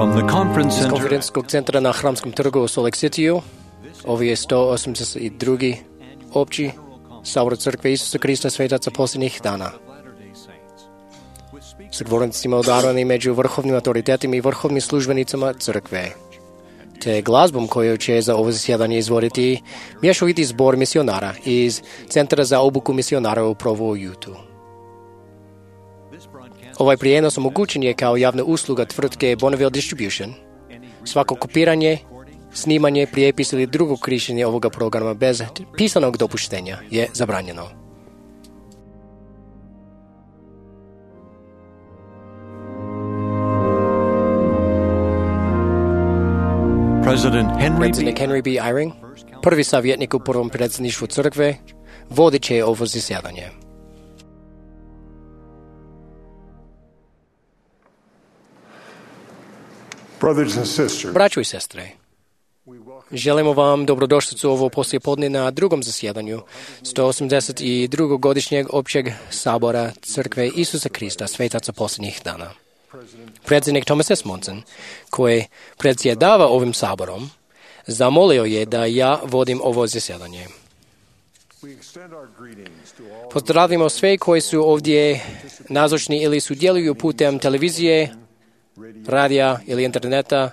From the conference Iz center konferenčskog centra na Hramskom trgu u Salt Lake City-u, ovo je 182. opći sabor Crkve Isusa Krista svetaca posljednjih dana. Sa govornicima odarani među vrhovnim autoritetima i vrhovnim službenicama Crkve, te glazbom koju će za ovo zasjedanje izvoditi mješoviti zbor misionara iz Centra za obuku misionara u Provo, Utah. Ovaj prijenos omogućen je kao javna usluga tvrtke Bonneville Distribution. Svako kopiranje, snimanje, prijepis ili drugo korištenje ovoga programa bez pisanog dopuštenja je zabranjeno. President Predsjednik Henry B. Eyring, prvi savjetnik u prvom predsjedništvu crkve, vodit će ovo zasjedanje. Braćo i sestre, želimo vam dobrodošlicu ovo poslijepodne na drugom zasjedanju 182. godišnjeg općeg sabora Crkve Isusa Krista svetaca posljednjih dana. Predsjednik Thomas S. Monson, koji predsjedava ovim saborom, zamolio je da ja vodim ovo zasjedanje. Pozdravimo sve koji su ovdje nazočni ili sudjeluju putem televizije, radija ili interneta,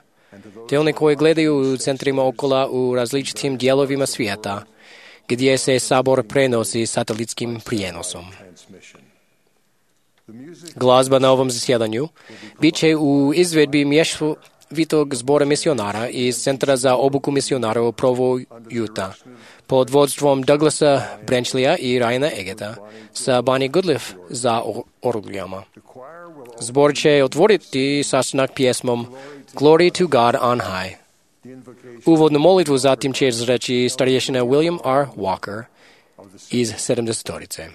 te one koji gledaju u centrima okola u različitim dijelovima svijeta, gdje se sabor prenosi satelitskim prijenosom. Glazba na ovom zasjedanju bit će u izvedbi mješovitog zbora misionara iz Centra za obuku misionara u Provo, Utah, pod vodstvom Douglasa Branchleya i Ryana Egeta sa Bonnie Goodliff za orglijama. Zbor će otvoriti sastanak pjesmom Glory to God on High. Uvodnu molitvu zatim će izreći starješina William R. Walker iz 70-torice.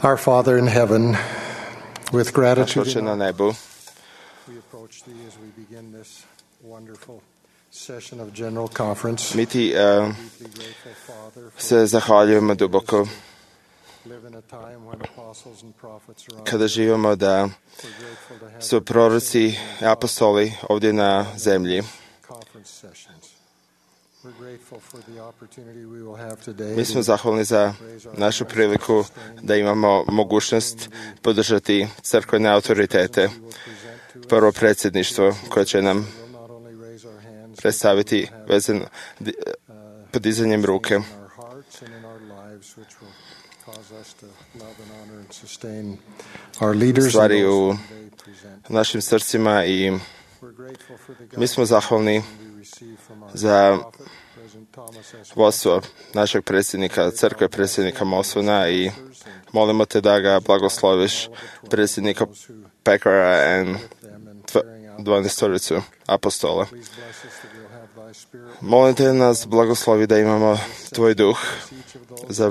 Our Father in heaven, with gratitude Oče na nebu, we approach Thee as we begin this wonderful session of General Conference. mi Ti se zahvaljujemo duboko kada živimo da su proroci i apostoli ovdje na zemlji. Mi smo zahvalni za našu priliku da imamo mogućnost podržati crkvene autoritete, prvo predsjedništvo koje će nam predstaviti vezano podizanjem ruke. Stvari u našim srcima i mi smo zahvalni za vodstvo našeg predsjednika crkve, predsjednika Mosona, i molimo te da ga blagosloviš, predsjednika Packera i 12 apostola. Molim te nas blagoslovi da imamo tvoj duh za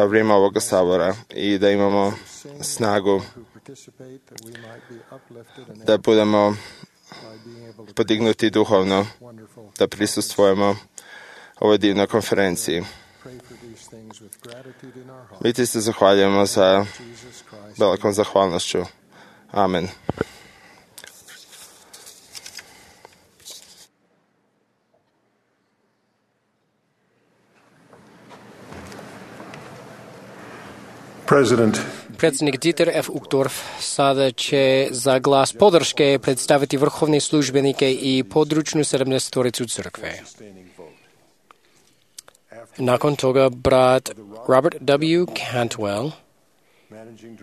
vrijeme ovoga sabora i da imamo snagu da budemo podignuti duhovno, da prisustvujemo ovoj divnoj konferenciji. Mi ti se zahvaljujemo sa velikom zahvalnošću. Amen. Predsjednik Dieter F. Uchtdorf sada će za glas podrške predstaviti vrhovne službenike i područnu 70-toricu crkve. Nakon toga brat Robert W. Cantwell,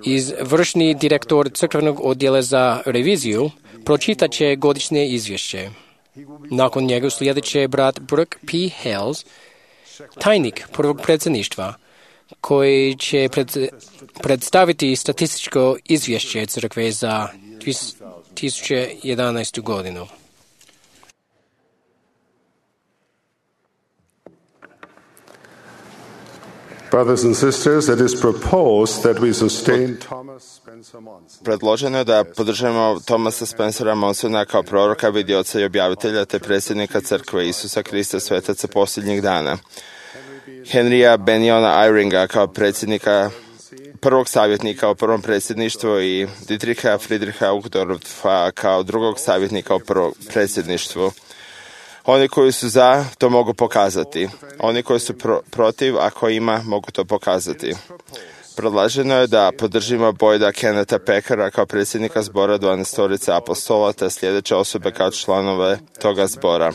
izvršni direktor crkvenog odjela za reviziju, pročitat će godišnje izvješće. Nakon njega slijedit će brat Brooke P. Hales, tajnik prvog predsjedništva, koji će predstaviti statističko izvješće crkve za 2011. godinu. Brothers and sisters, it is proposed that we sustain Thomas Spencer Monson. Predloženo je da podržimo Thomasa Spencera Monsona kao proroka, vidioca i objavitelja te predsjednika crkve Isusa Krista svetaca posljednjih dana. Henrya Beniona Eyringa kao predsjednika, prvog savjetnika u prvom predsjedništvu i Dietricha Friedricha Uchtdorfa kao drugog savjetnika u prvom predsjedništvu. Oni koji su za, to mogu pokazati. Oni koji su protiv, ako ima, mogu to pokazati. Predloženo je da podržimo Boyda Kennetha Packera kao predsjednika zbora 12 apostola te sljedeće osobe kao članove toga zbora.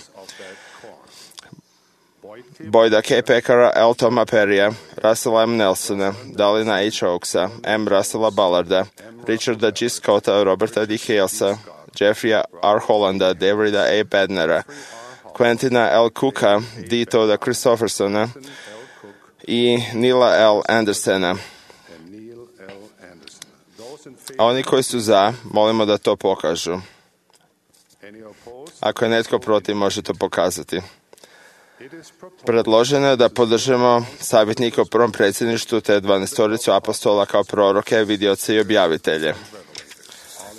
Boyda K. Packera, L. Toma Perrya, Russella M. Nelsona, Dalina H. Oakesa, M. Russella Ballarda, Richarda G. Scotta, Roberta D. Halesa, Jeffreya R. Hollanda, Davida A. Badnera, Quentina L. Cooka, D. Toda Christophersona i Nila L. Andersona. A oni koji su za, molimo da to pokažu. Ako je netko protiv, može to pokazati. Predloženo je da podržimo savjetnika u prvom predsjedništvu te 12 apostola kao proroke, vidioce i objavitelje.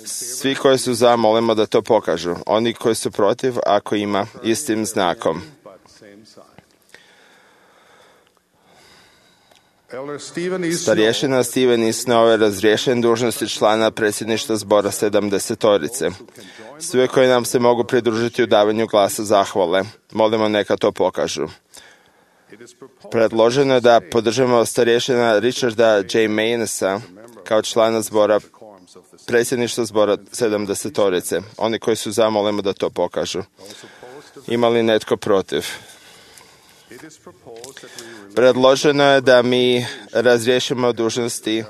Svi koji su za, molimo da to pokažu. Oni koji su protiv, ako ima, istim znakom. Starješina Steven Isnove je razriješen dužnosti člana predsjedništva zbora 70-torice. Svi koji nam se mogu pridružiti u davanju glasa zahvale, molimo neka to pokažu. Predloženo je da podržimo starješina Richarda J. Mainesa kao člana zbora predsjedništva zbora 70-torice. Oni koji su za, molimo da to pokažu. Ima li netko protiv? Predloženo je da mi razriješimo dužnosti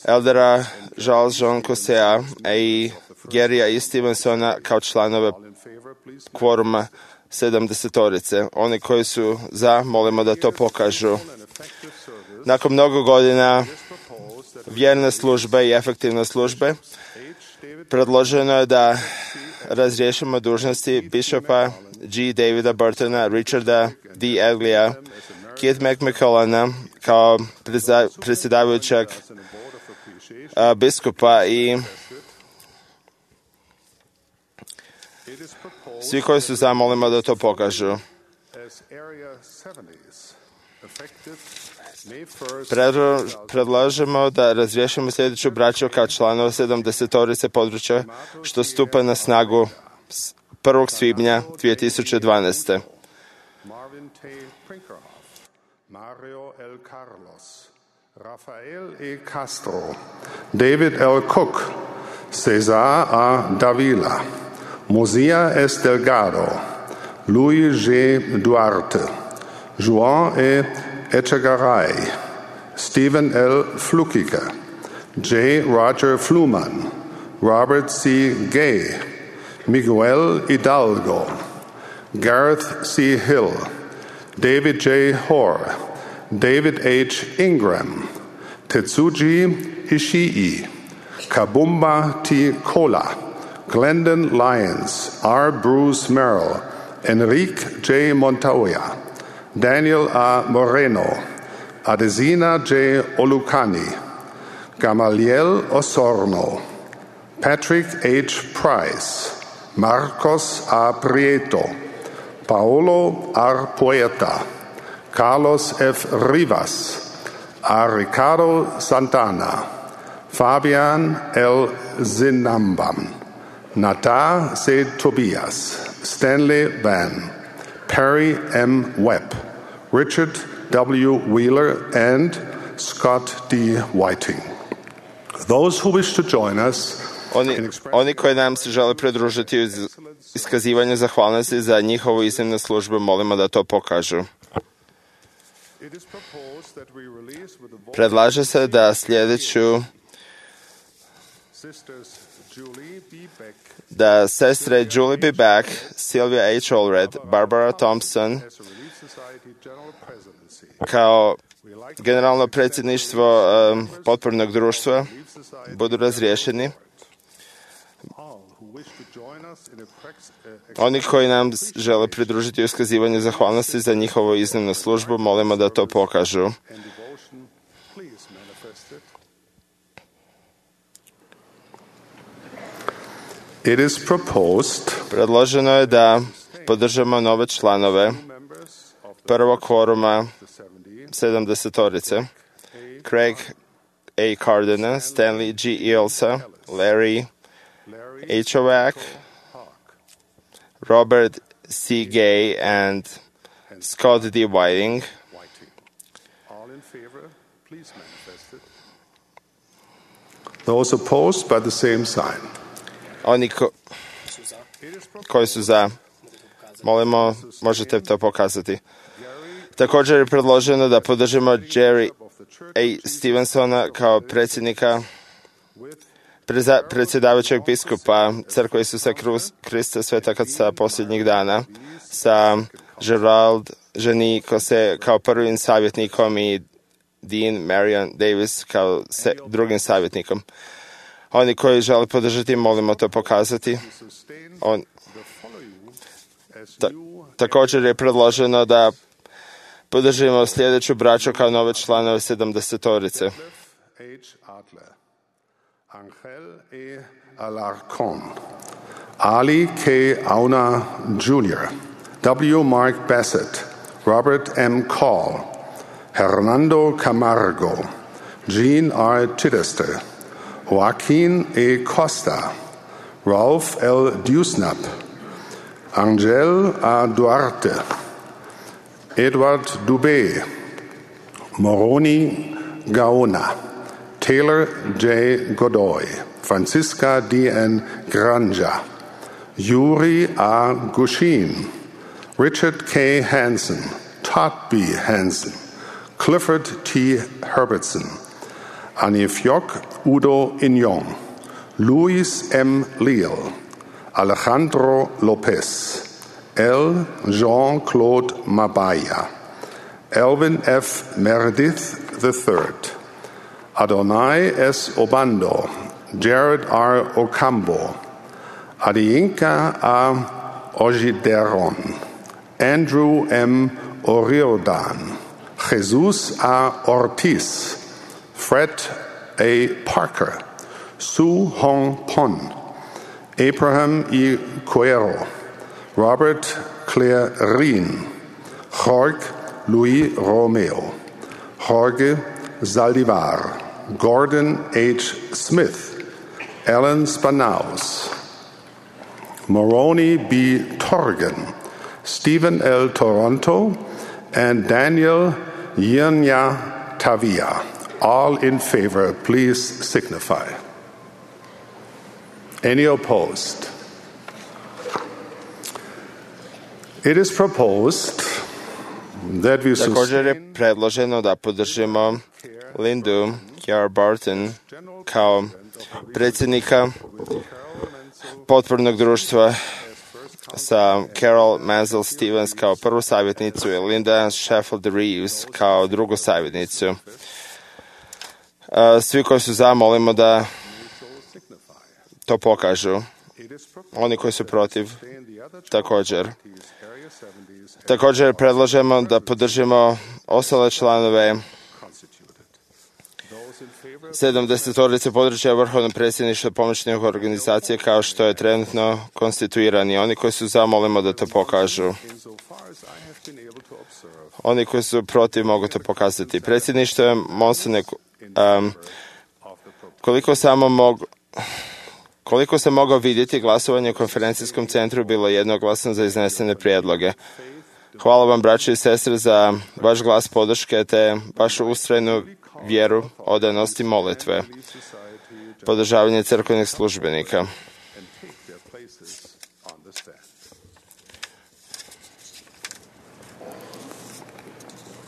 eldera Charles Jean Cossea i Gerija i Stevensona kao članove kvoruma 70-torice. Oni koji su za, molimo da to pokažu. Nakon mnogo godina vjerne službe i efektivne službe, predloženo je da razriješimo dužnosti bišopa G. Davida Burtona, Richarda D. Edglija, Keith McMullana kao predsjedavajućeg biskupa i svi koji su za, molimo da to pokažu. Predlažemo da razriješimo sljedeću braću kao članova 70-torice područja što stupa na snagu 1. svibnja 2012. Marvin T. Prinkerhoff, Mario L. Carlos, Rafael E. Castro, David L. Cook, Cesar A. Davila, Mozia S. Delgado, Luis G. Duarte, Joan E. Echegaray, Stephen L. Flukiger, J. Roger Fluman, Robert C. Gay, Miguel Hidalgo, Gareth C. Hill, David J. Hoare, David H. Ingram, Tetsuji Ishii, Kabumba T. Kola, Glendon Lyons, R. Bruce Merrill, Enrique J. Montoya, Daniel A. Moreno, Adesina J. Olucani, Gamaliel Osorno, Patrick H. Price, Marcos A. Prieto, Paolo R. Poeta, Carlos F. Rivas, A. Ricardo Santana, Fabian L. Zinambam, Nata C. Tobias, Stanley Van, Perry M. Webb, Richard W. Wheeler, and Scott D. Whiting. Those who wish to join us Oni koji nam se žele pridružiti u iskazivanju zahvalnosti za njihovu iznimnu službu, molimo da to pokažu. Predlaže se da sljedeću da sestre Julie B. Beck, Sylvia H. Allred, Barbara Thompson kao generalno predsjedništvo potpornog društva budu razriješeni. Oni koji nam žele pridružiti u iskazivanju zahvalnosti za njihovu iznimnu službu, molimo da to pokažu. Predloženo je da podržamo nove članove prvog kvoruma 70-torice. Craig A. Cardona, Stanley G. Ilsa, Larry H. Owack, Robert C. Gay, and Scott D. Whiting. All in favor, please manifest it. Those opposed by the same sign. Oni koji su za, molimo, možete to pokazati. Također je predloženo da podržimo Jerry A. Stevensona kao predsjednika predsjedavajućeg biskupa Crkve Isusa Krista Svetog Oca posljednjih dana sa Gerald Ženikose kao prvim savjetnikom i Dean Marion Davis kao drugim savjetnikom. Oni koji žele podržati, molimo to pokazati. Također je predloženo da podržimo sljedeću braću kao nove članove 70-torice. Angel E. Alarcon, Ali K. Auna Jr., W. Mark Bassett, Robert M. Call, Hernando Camargo, Jean R. Chichester, Joaquin E. Costa, Ralph L. Dusnap, Angel A. Duarte, Edward Dubé, Moroni Gaona, Taylor J. Godoy, Francisca D. N. Granja, Yuri A. Gushin, Richard K. Hansen, Todd B. Hansen, Clifford T. Herbertson, Anifjok Udo Inyong, Luis M. Leal, Alejandro Lopez, L. Jean-Claude Mabaya, Elvin F. Meredith III, Adonai S. Obando, Jared R. Ocampo, Adiyinka A. Ojideron, Andrew M. Oriodan, Jesus A. Ortiz, Fred A. Parker, Su Hong Pon, Abraham E. Cuero, Robert Claire Rien, Jorge Luis Romeo, Jorge Zaldivar, Gordon H. Smith, Alan Spanaus, Moroni B. Torgan, Stephen L. Toronto, and Daniel Yenya Tavia. All in favor, please signify. Any opposed? It is proposed that we Također je predloženo da podržimo Lindu Kiara Barton kao predsjednika potpornog društva sa Carol Mansell Stevens kao prvu savjetnicu i Linda Sheffield Reeves kao drugu savjetnicu. Svi koji su za, molimo da to pokažu. Oni koji su protiv, također. Također predlažemo da podržimo ostale članove 70-torice područja vrhovnog predsjedništva pomoćnih organizacija kao što je trenutno konstituirani. Oni koji su za, molimo da to pokažu. Oni koji su protiv mogu to pokazati. Predsjedništvo je Monsone, koliko sam mogao vidjeti, glasovanje u konferencijskom centru bilo jednoglasno za iznesene prijedloge. Hvala vam, braće i sestre, za vaš glas podrške te vašu ustrajnu vjeru, odanost i molitve, podržavanje crkvenih službenika.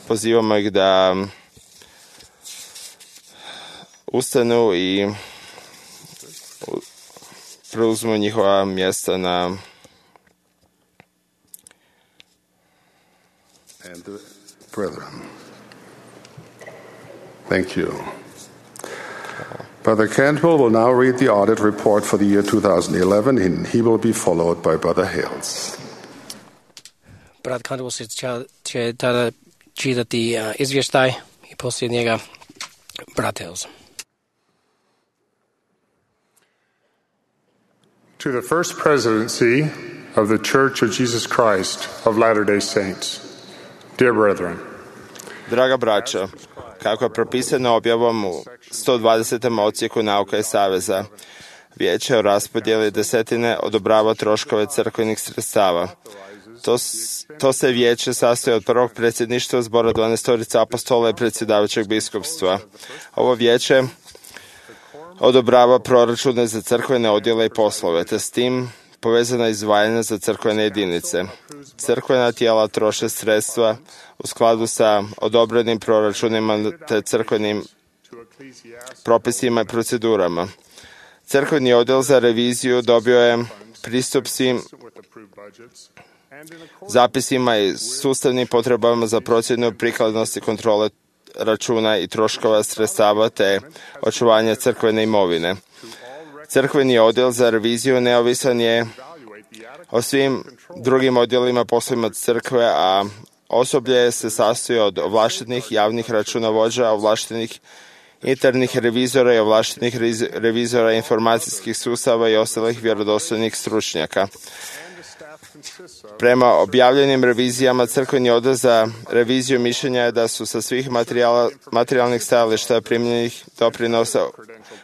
Pozivamo ih da ustanu i preuzmu njihova mjesta na and the brethren. Thank you. Brother Cantwell will now read the audit report for the year 2011, and he will be followed by Brother Hales. Brat Cantwell će tada čitati izvještaj i poslije njega brat Hales. To the First Presidency of the Church of Jesus Christ of Latter-day Saints, dear brethren, Draga braćo, kako je propisano objavom u 120. odsjeku Nauka i saveza, Vijeće o raspodjeli desetine odobrava troškove crkvenih sredstava. To se vijeće sastoji od prvog predsjedništva zbora 12 apostola i predsjedavajućeg biskupstva. Ovo vijeće odobrava proračune za crkvene odjele i poslove, te s tim povezana izdvajanja za crkvene jedinice. Crkvena tijela troše sredstva u skladu sa odobrenim proračunima te crkvenim propisima i procedurama. Crkveni odjel za reviziju dobio je pristup svim zapisima i sustavnim potrebama za procjenu prikladnosti kontrole računa i troškova sredstava te očuvanje crkvene imovine. Crkveni odjel za reviziju neovisan je o svim drugim odjelima poslovima crkve, a osoblje se sastoji od ovlaštenih javnih računovođa, ovlaštenih internih revizora i ovlaštenih revizora informacijskih sustava i ostalih vjerodostojnih stručnjaka. Prema objavljenim revizijama, crkveni odjel za reviziju mišljenja je da su sa svih materijalnih stajališta primljenih doprinosa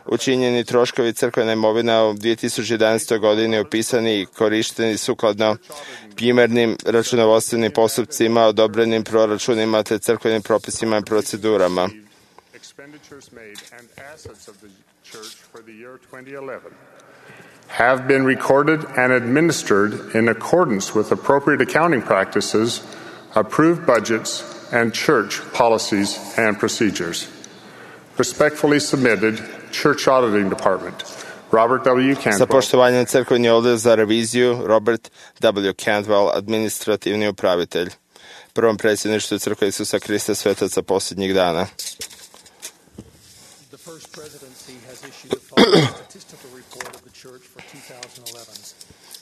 učinjeni troškovi crkvene imovine u 2011. godini opisani i korišteni sukladno primjernim računovodstvenim postupcima, odobrenim proračunima te crkvenim propisima i procedurama. have been recorded and administered in accordance with appropriate accounting practices, approved budgets, and church policies and procedures. Respectfully submitted, Church Auditing Department, Robert W. Cantwell. Sa poštovanjem crkveni odjel za reviziju, Robert W. Cantwell, administrativni upravitelj. Prvom predsjedništvu Crkve Isusa Krista Svetaca posljednjih dana. The First Presidency has issued the following statistical report of the Church for 2011.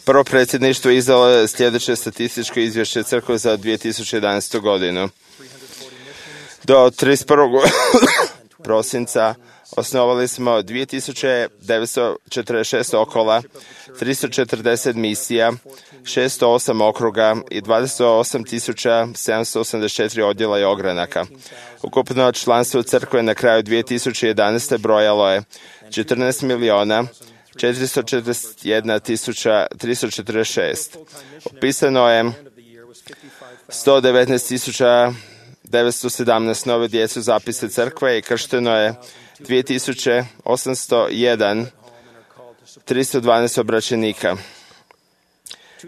Prvo predsjedništvo izdalo je sljedeće statističko izvješće Crkve za 2011. godinu. Do 31. prosinca Osnovali smo 2946 okola, 340 misija, 608 okruga i 28.784 odjela i ogranaka. Ukupno članstvo crkve na kraju 2011. brojalo je 14.441.346. Upisano je 119.917 nove djece u zapise crkve i kršteno je 2.801 312 obraćenika.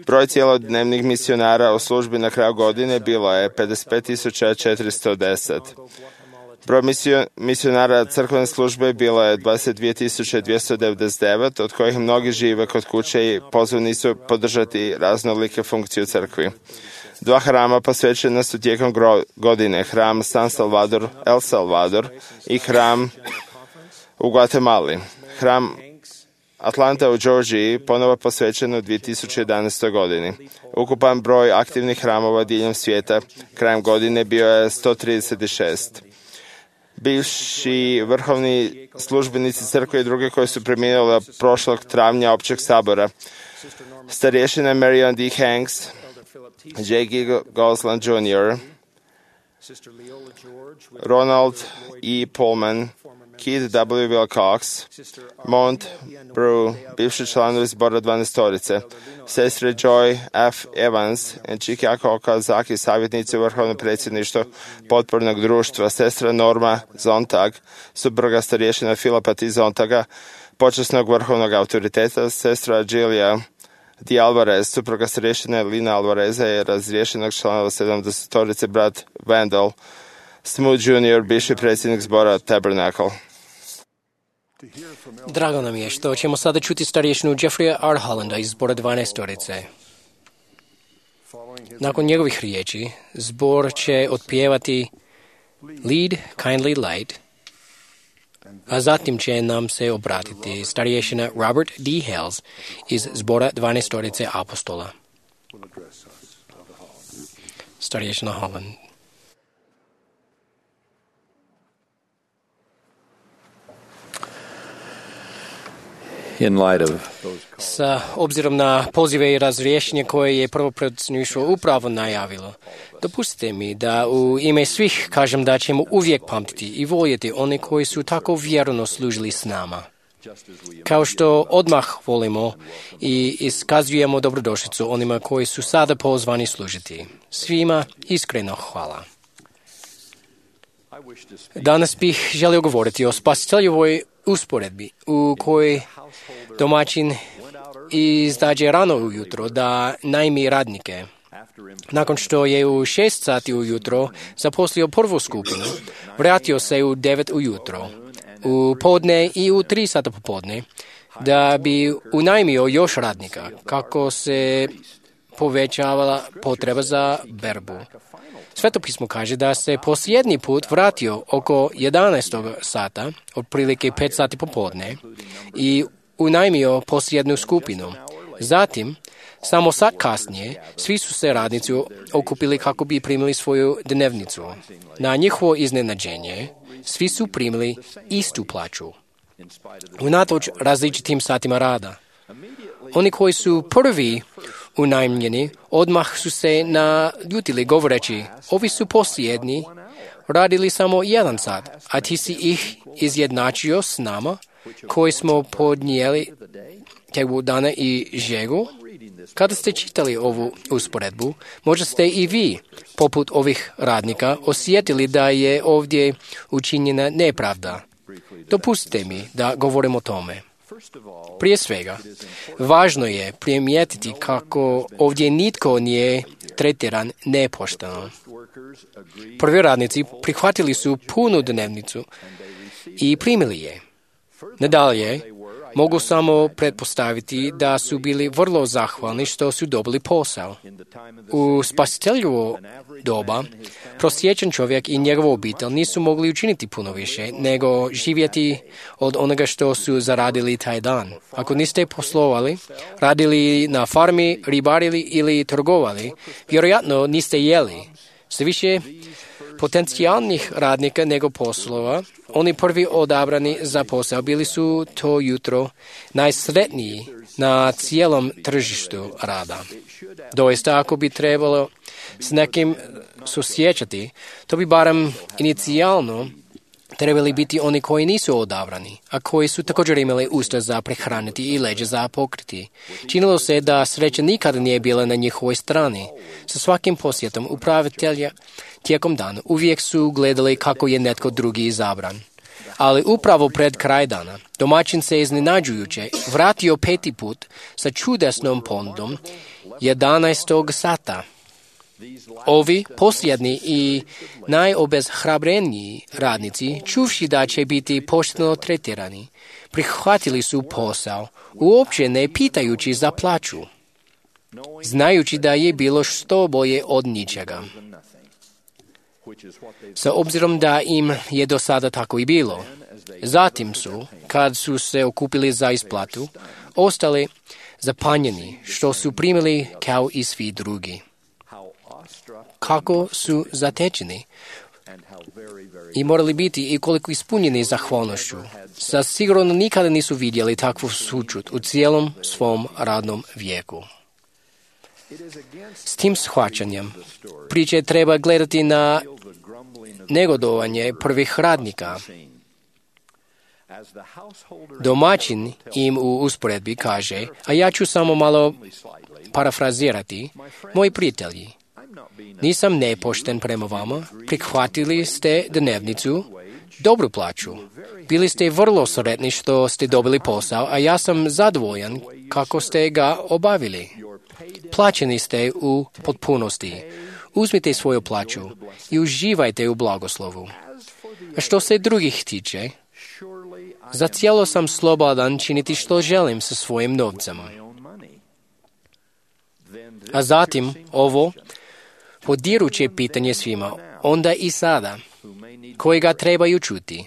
Broj cjelodnevnih misionara u službi na kraju godine bilo je 55.410. Broj misionara crkvene službe bilo je 22.299, od kojih mnogi žive kod kuće i pozvani su podržati raznolike funkcije u crkvi. 2 hrama posvećena su tijekom godine, hram San Salvador, El Salvador i hram u Guatemali. Hram Atlanta u Georgiji ponovo posvećen u 2011. godini. Ukupan broj aktivnih hramova diljem svijeta krajem godine bio je 136. Bivši vrhovni službenici crkve i druge koji su preminuli prošlog travnja općeg sabora, starješina Marion D. Hanks, J. G. Goslan Jr., Ronald E. Pullman, Keith W. Wilcox, Mont Brew, bivši članovi zbora 12-torice, sestre Joy F. Evans i Chikako Okazaki, savjetnici u vrhovnom predsjedništvu potpornog društva, sestra Norma Zontag, supruga starješina Filipa T. Zontaga, počasnog vrhovnog autoriteta, sestra Gilia D. Alvarez, supruga starješine Lina Alvareza i razriješenog članova 70-torice brat Vandal Smoot Jr., bivši predsjednik zbora Tabernacle. Drago nam je što ćemo sada čuti starješinu Jeffreya R. Hollanda iz zbora 12-torice. Nakon njegovih riječi, zbor će otpjevati Lead, Kindly Light, a zatim će nam se obratiti starješina Robert D. Hales iz zbora 12-torice apostola. Starješina Holland. Sa obzirom na pozive i razrješenje koje je prvo predsjedništvo upravo najavilo, dopustite mi da u ime svih kažem da ćemo uvijek pamtiti i voljeti one koji su tako vjerno služili s nama. Kao što odmah volimo i iskazujemo dobrodošlicu onima koji su sada pozvani služiti. Svima iskreno hvala. Danas bih želio govoriti o spasiteljevoj usporedbi u kojoj domaćin izađe rano ujutro da najmi radnike. Nakon što je u 6 sati ujutro zaposlio prvu skupinu, vratio se u 9 ujutro, u podne i u 3 sata popodne, da bi unajmio još radnika, kako se povećavala potreba za berbu. Sveto pismo kaže da se posljednji put vratio oko 11. sata, otprilike 5 sati popodne, i unajmio posljednju skupinu. Zatim, samo sat kasnije, svi su se radnici okupili kako bi primili svoju dnevnicu. Na njihovo iznenađenje, svi su primili istu plaću, unatoč različitim satima rada. Oni koji su prvi unajmljeni odmah su se naljutili govoreći, ovi su posljednji radili samo 1 sat, a ti si ih izjednačio s nama koji smo podnijeli tebu dana i žegu. Kada ste čitali ovu usporedbu, možda ste i vi, poput ovih radnika, osjetili da je ovdje učinjena nepravda. Dopustite mi da govorim o tome. Prije svega, važno je primijetiti kako ovdje nitko nije tretiran nepošteno. Prvi radnici prihvatili su punu dnevnicu i primili je. Nadalje, mogu samo pretpostaviti da su bili vrlo zahvalni što su dobili posao. U spasiteljovo doba, prosječan čovjek i njegova obitelj nisu mogli učiniti puno više nego živjeti od onoga što su zaradili taj dan. Ako niste poslovali, radili na farmi, ribarili ili trgovali, vjerojatno niste jeli. Sve više, potencijalnih radnika nego poslova, oni prvi odabrani za posao bili su to jutro najsretniji na cijelom tržištu rada. Doista, ako bi trebalo s nekim susjećati, to bi barem inicijalno trebali biti oni koji nisu odabrani, a koji su također imali usta za prehraniti i leđa za pokriti. Činilo se da sreća nikada nije bila na njihovoj strani. Sa svakim posjetom upravitelja tijekom dana uvijek su gledali kako je netko drugi izabran. Ali upravo pred kraj dana domaćin se iznenađujuće vratio 5. put sa čudesnom ponudom 11. sata. Ovi posljednji i najobezhrabreniji radnici, čuvši da će biti pošteno tretirani, prihvatili su posao, uopće ne pitajući za plaću, znajući da je bilo što bolje od ničega. Sa obzirom da im je do sada tako i bilo, zatim su, kad su se okupili za isplatu, ostali zapanjeni što su primili kao i svi drugi. Kako su zatečeni i morali biti i koliko ispunjeni zahvalnošću. Sa sigurno nikada nisu vidjeli takvu sućut u cijelom svom radnom vijeku. S tim shvaćanjem priče treba gledati na negodovanje prvih radnika. Domaćin im u usporedbi kaže, a ja ću samo malo parafrazirati, moji prijatelji, nisam nepošten prema vama, prihvatili ste dnevnicu, dobru plaću. Bili ste vrlo sretni što ste dobili posao, a ja sam zadovoljan kako ste ga obavili. Plaćeni ste u potpunosti. Uzmite svoju plaću i uživajte u blagoslovu. A što se drugih tiče, za cijelo sam slobodan činiti što želim sa svojim novcem. A zatim ovo podiruće pitanje svima, onda i sada, koji ga trebaju čuti.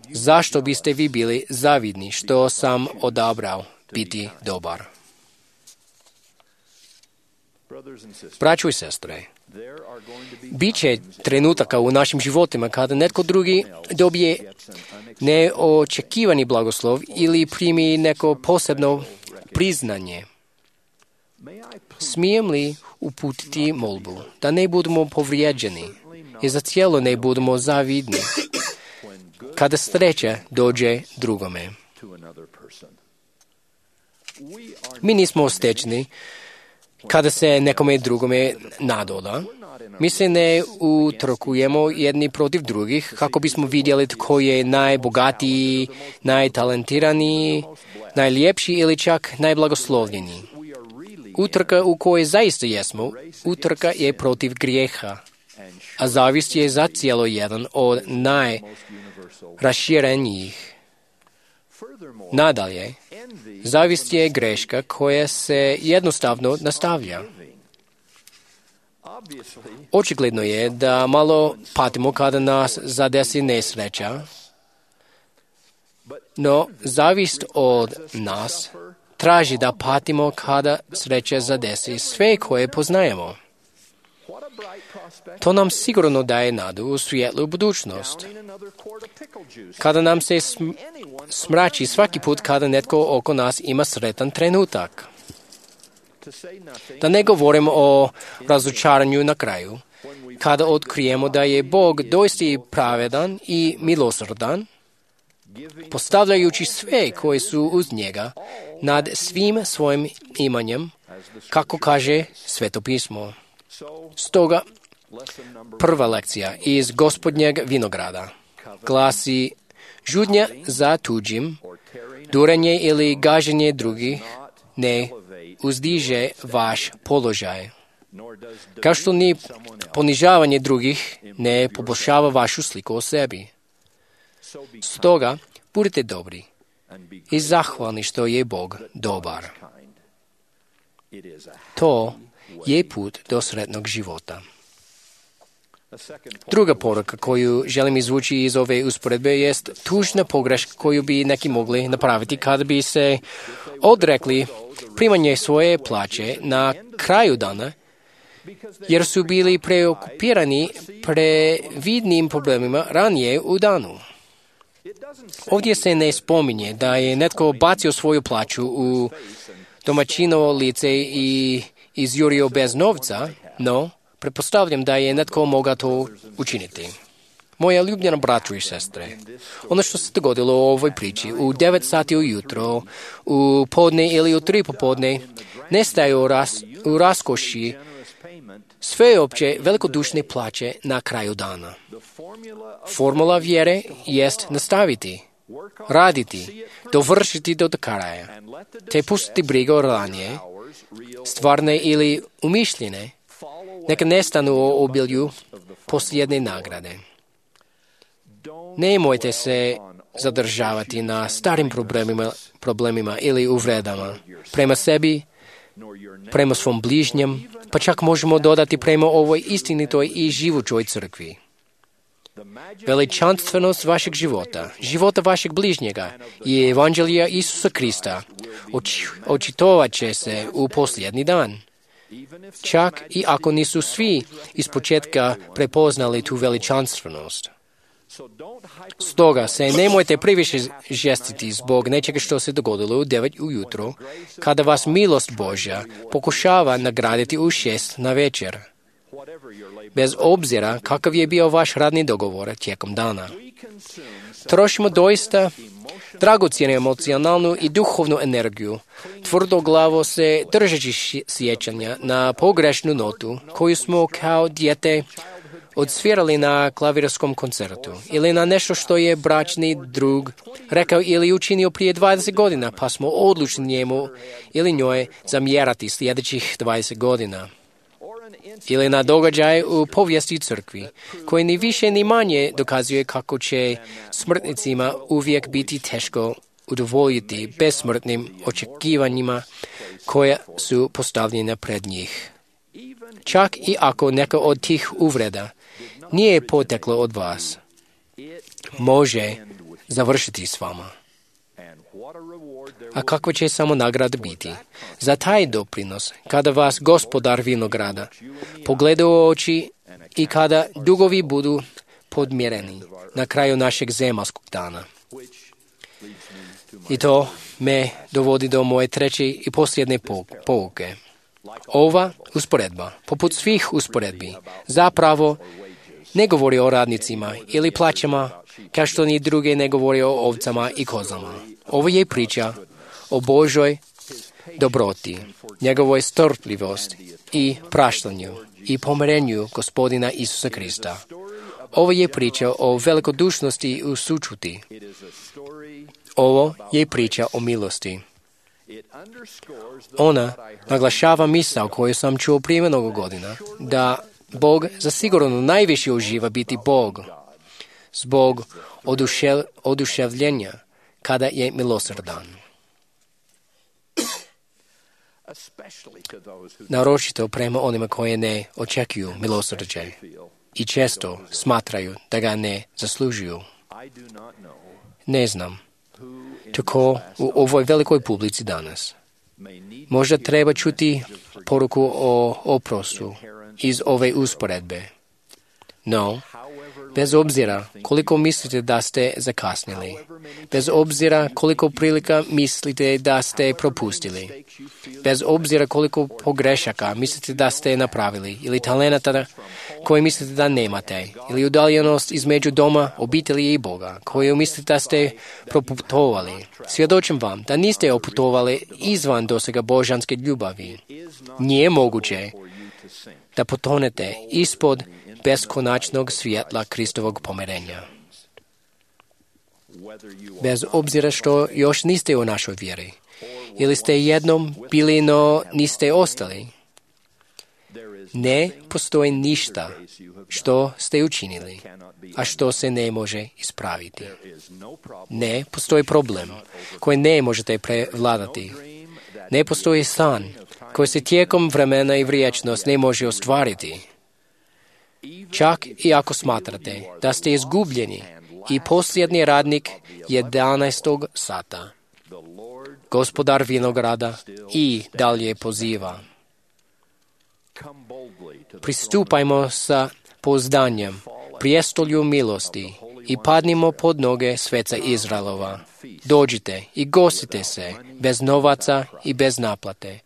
Zašto biste vi bili zavidni što sam odabrao biti dobar? Braćo i sestre, bit će trenutaka u našim životima kada netko drugi dobije neočekivani blagoslov ili primi neko posebno priznanje. Smijem li uputiti molbu da ne budemo povrijeđeni i za cijelo ne budemo zavidni kada sreća dođe drugome? Mi nismo stečni kada se nekome drugome nadoda. Mi se ne utrkujemo jedni protiv drugih kako bismo vidjeli tko je najbogatiji, najtalentiraniji, najljepši ili čak najblagoslovljeniji. Utrka u kojoj zaista jesmo, utrka je protiv grijeha, a zavist je zacijelo jedan od najraširenijih. Nadalje, zavist je greška koja se jednostavno nastavlja. Očigledno je da malo patimo kada nas zadesi nesreća, no zavist od nas traži da patimo kada sreća zadesi sve koje poznajemo. To nam sigurno daje nadu u svijetlu budućnost. Kada nam se smrači svaki put kada netko oko nas ima sretan trenutak. Da ne govorimo o razočaranju na kraju, kada otkrijemo da je Bog doista pravedan i milosrdan, postavljajući sve koji su uz njega nad svim svojim imanjem, kako kaže Sveto pismo. Stoga, prva lekcija iz Gospodnjeg vinograda glasi: žudnja za tuđim, durenje ili gaženje drugih ne uzdiže vaš položaj, kao što ni ponižavanje drugih ne poboljšava vašu sliku o sebi. Stoga, budite dobri i zahvalni što je Bog dobar. To je put do sretnog života. Druga poruka koju želim izvući iz ove usporedbe jest tužna pogreška koju bi neki mogli napraviti kada bi se odrekli primanje svoje plaće na kraju dana jer su bili preokupirani previdnim problemima ranije u danu. Ovdje se ne spominje da je netko bacio svoju plaću u domaćinovo lice i izjurio bez novca, no pretpostavljam da je netko mogao to učiniti. Moja ljubljena braćo i sestre, ono što se dogodilo u ovoj priči u 9 sati ujutro, u podne ili u 3 popodne, ne staje u raskoši sveopće velikodušne plaće na kraju dana. Formula vjere jest nastaviti, raditi, dovršiti do kraja, te pustiti brigu o ranije, stvarne ili umišljene, neka nestanu u obilju posljedne nagrade. Nemojte se zadržavati na starim problemima ili uvredama prema sebi, prema svom bližnjem, pa čak možemo dodati prema ovoj istinitoj i živućoj crkvi. Veličanstvenost vašeg života vašeg bližnjega i evanđelija Isusa Krista očitovat će se u posljednji dan. Čak i ako nisu svi ispočetka prepoznali tu veličanstvenost. Stoga se nemojte previše žestiti zbog nečega što se dogodilo u 9 ujutro, kada vas milost Božja pokušava nagraditi u 6 na večer. Bez obzira kakav je bio vaš radni dogovor tijekom dana. Trošimo doista dragocjenu emocionalnu i duhovnu energiju, tvrdoglavo se držeći sjećanja na pogrešnu notu koju smo kao dijete odsvirali na klavirskom koncertu ili na nešto što je bračni drug rekao ili učinio prije 20 godina, pa smo odlučni njemu ili njoj zamjerati sljedećih 20 godina. Ili na događaj u povijesti crkvi, koji ni više ni manje dokazuje kako će smrtnicima uvijek biti teško udovoljiti besmrtnim očekivanjima koja su postavljena pred njih. Čak i ako neka od tih uvreda nije poteklo od vas, može završiti s vama. A kakva će samo nagrada biti za taj doprinos kada vas gospodar vinograda pogleda u oči i kada dugovi budu podmireni na kraju našeg zemaljskog dana. I to me dovodi do moje treće i posljedne pouke. Ova usporedba, poput svih usporedbi, zapravo ne govori o radnicima ili plaćama, kao što ni druge ne govori o ovcama i kozama. Ovo je priča o Božoj dobroti, njegovoj strpljivosti i praštanju i pomirenju Gospodina Isusa Krista. Ovo je priča o velikodušnosti i sućuti. Ovo je priča o milosti. Ona naglašava misao koju sam čuo prije mnogo godina, da Bog zasigurno najviše uživa biti Bog, zbog oduševljenja kada je milosrdan. Naročito prema onima koji ne očekuju milosrđe i često smatraju da ga ne zaslužuju. Ne znam tko u ovoj velikoj publici danas možda treba čuti poruku o oprostu iz ove usporedbe. No, bez obzira koliko mislite da ste zakasnili, bez obzira koliko prilika mislite da ste propustili, bez obzira koliko pogrešaka mislite da ste napravili ili talenata koje mislite da nemate, ili udaljenost između doma, obitelji i Boga koju mislite da ste proputovali, svjedočim vam da niste oputovali izvan dosega božanske ljubavi. Nije moguće da potonete ispod beskonačnog svjetla Kristovog pomirenja. Bez obzira što još niste u našoj vjeri, ili ste jednom bili, no niste ostali, ne postoji ništa što ste učinili, a što se ne može ispraviti. Ne postoji problem koji ne možete prevladati. Ne postoji san koji se tijekom vremena i vječnost ne može ostvariti. Čak i ako smatrate da ste izgubljeni i posljednji radnik 11. sata, Gospodar vinograda i dalje poziva. Pristupajmo sa pouzdanjem prijestolju milosti i padnimo pod noge sveca Izraelova. Dođite i gostite se bez novaca i bez naplate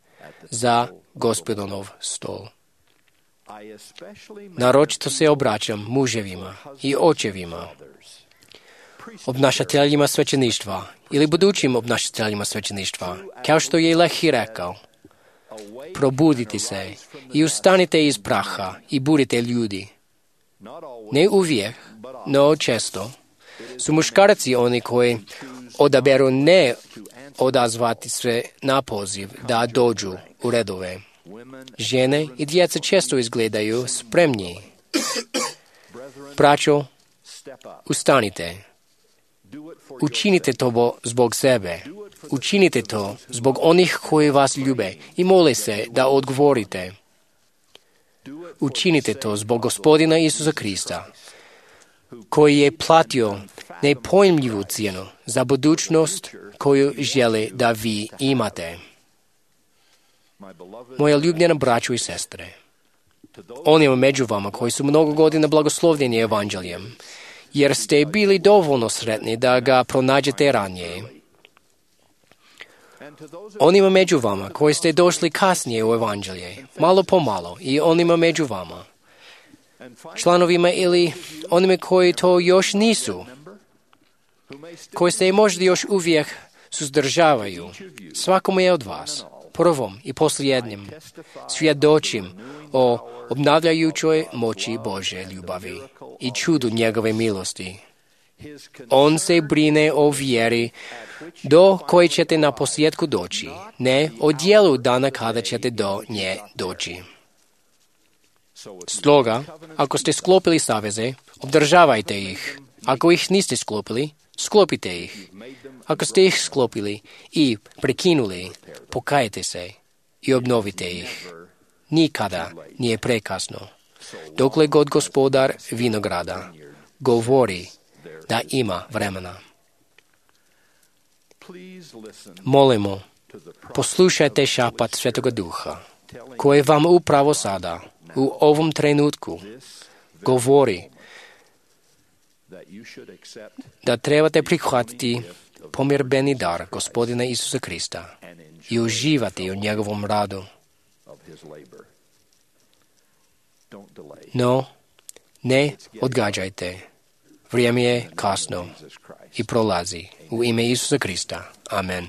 za Gospodinov stol. Naročito se obraćam muževima i očevima, obnašateljima svećeništva ili budućim obnašateljima svećeništva, kao što je Lehi rekao, probudite se i ustanite iz praha i budite ljudi. Ne uvijek, no često su muškarci oni koji odaberu ne odazvati se na poziv da dođu u redove. Žene i djeca često izgledaju spremni. Braćo, ustanite. Učinite to zbog sebe. Učinite to zbog onih koji vas ljube i mole se da odgovorite. Učinite to zbog Gospodina Isusa Krista, koji je platio nepojmljivu cijenu za budućnost koju želi da vi imate. Moja ljubljena braćo i sestre, onima među vama koji su mnogo godina blagoslovljeni evanđeljem, jer ste bili dovoljno sretni da ga pronađete ranije. Onima među vama koji ste došli kasnije u evanđelje, malo po malo, i onima među vama, članovima ili onima koji to još nisu, koji se možda još uvijek suzdržavaju, svakome je od vas, prvom i posljednjem, svjedočim o obnavljajućoj moći Božje ljubavi i čudu njegove milosti. On se brine o vjeri do koje ćete na posljedku doći, ne o dijelu dana kada ćete do nje doći. Stoga, ako ste sklopili saveze, obdržavajte ih. Ako ih niste sklopili, sklopite ih. Ako ste ih sklopili i prekinuli, pokajte se i obnovite ih. Nikada nije prekasno. Dokle god gospodar vinograda govori da ima vremena. Molimo, poslušajte šapat Svetoga Duha, koji vam upravo sada, u ovom trenutku, govori da trebate prihvatiti pomirbeni dar Gospodina Isusa Krista i uživati u njegovom radu. No, ne odgađajte. Vrijeme je kasno i prolazi. U ime Isusa Krista. Amen.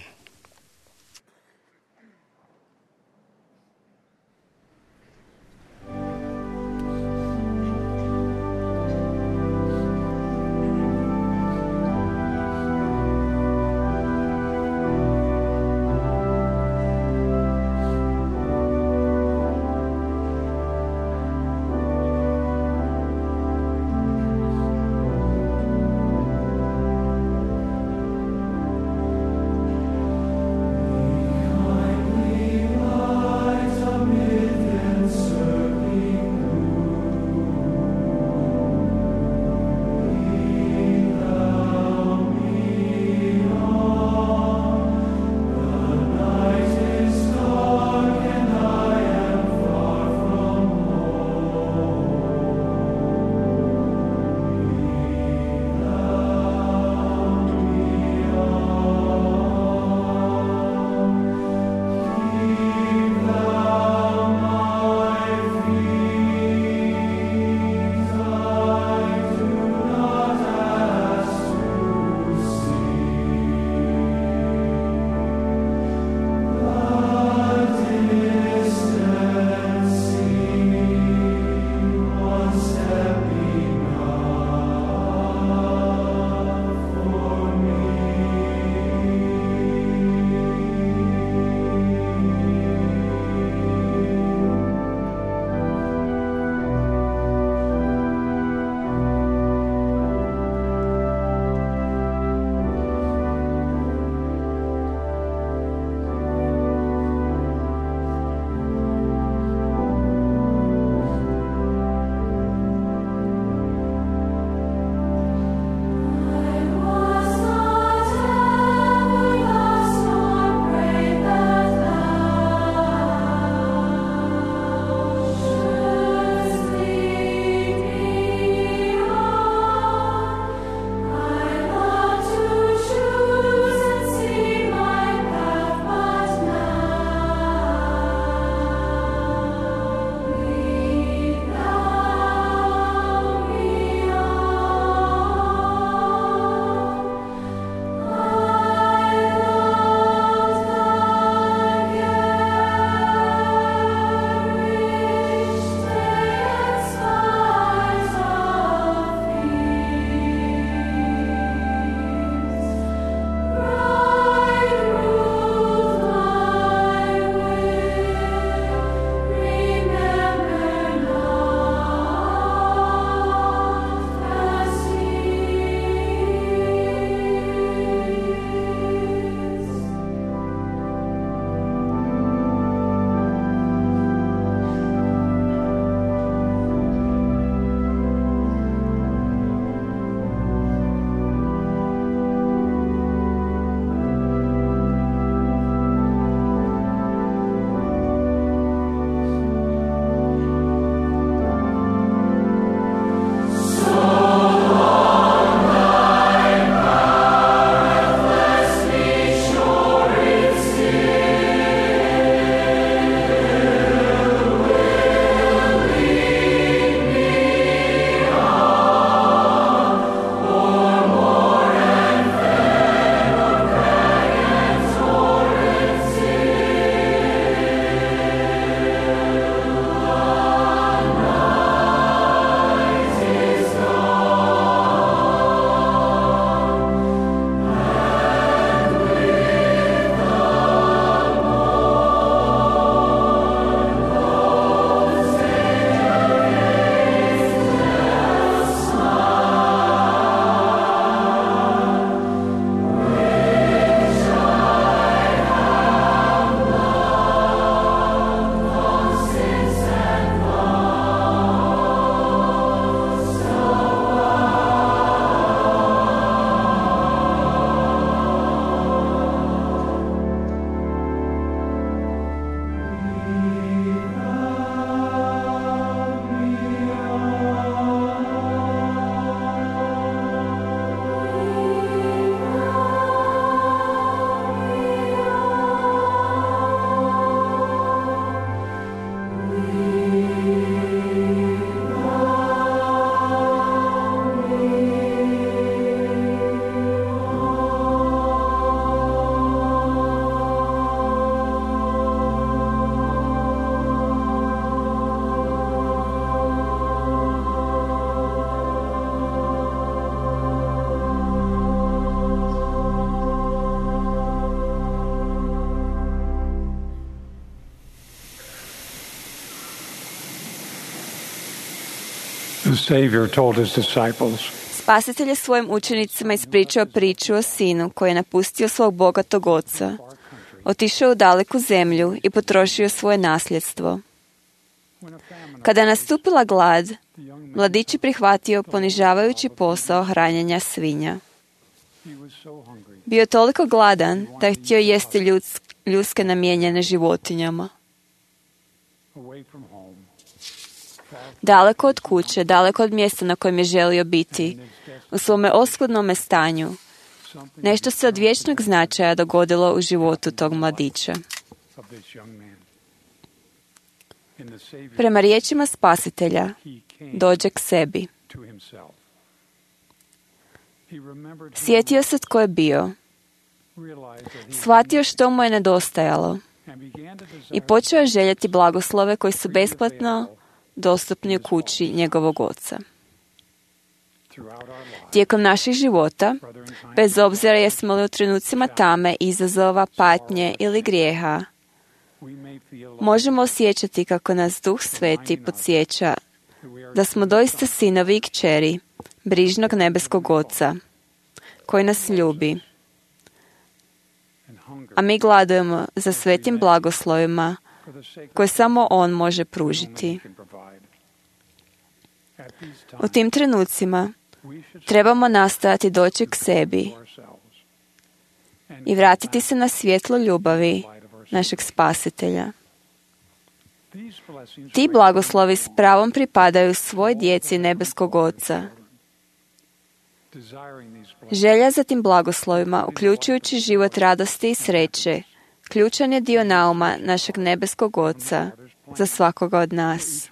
The Savior told his disciples, Spasitelj je svojim učenicima ispričao priču o sinu koji je napustio svog bogatog oca, otišao u daleku zemlju i potrošio svoje nasljedstvo. Kada je nastupila glad, mladić je prihvatio ponižavajući posao hranjenja svinja. Bio je toliko gladan da je htio jesti ljudske namijenjene životinjama. Daleko od kuće, daleko od mjesta na kojem je želio biti, u svome oskudnome stanju, nešto se od vječnog značaja dogodilo u životu tog mladića. Prema riječima Spasitelja, dođe k sebi. Sjetio se tko je bio, shvatio što mu je nedostajalo i počeo je željeti blagoslove koji su besplatno dostupni u kući njegovog oca. Tijekom naših života, bez obzira jesmo li u trenucima tame, izazova, patnje ili grijeha, možemo osjećati kako nas Duh Sveti podsjeća da smo doista sinovi i kćeri brižnog nebeskog Oca, koji nas ljubi, a mi gladujemo za svetim blagoslovima koje samo On može pružiti. U tim trenucima trebamo nastojati doći k sebi i vratiti se na svjetlo ljubavi našeg Spasitelja. Ti blagoslovi s pravom pripadaju svoj djeci nebeskog Oca. Želja za tim blagoslovima, uključujući život radosti i sreće, ključan je dio nauma našeg nebeskog Oca za svakoga od nas.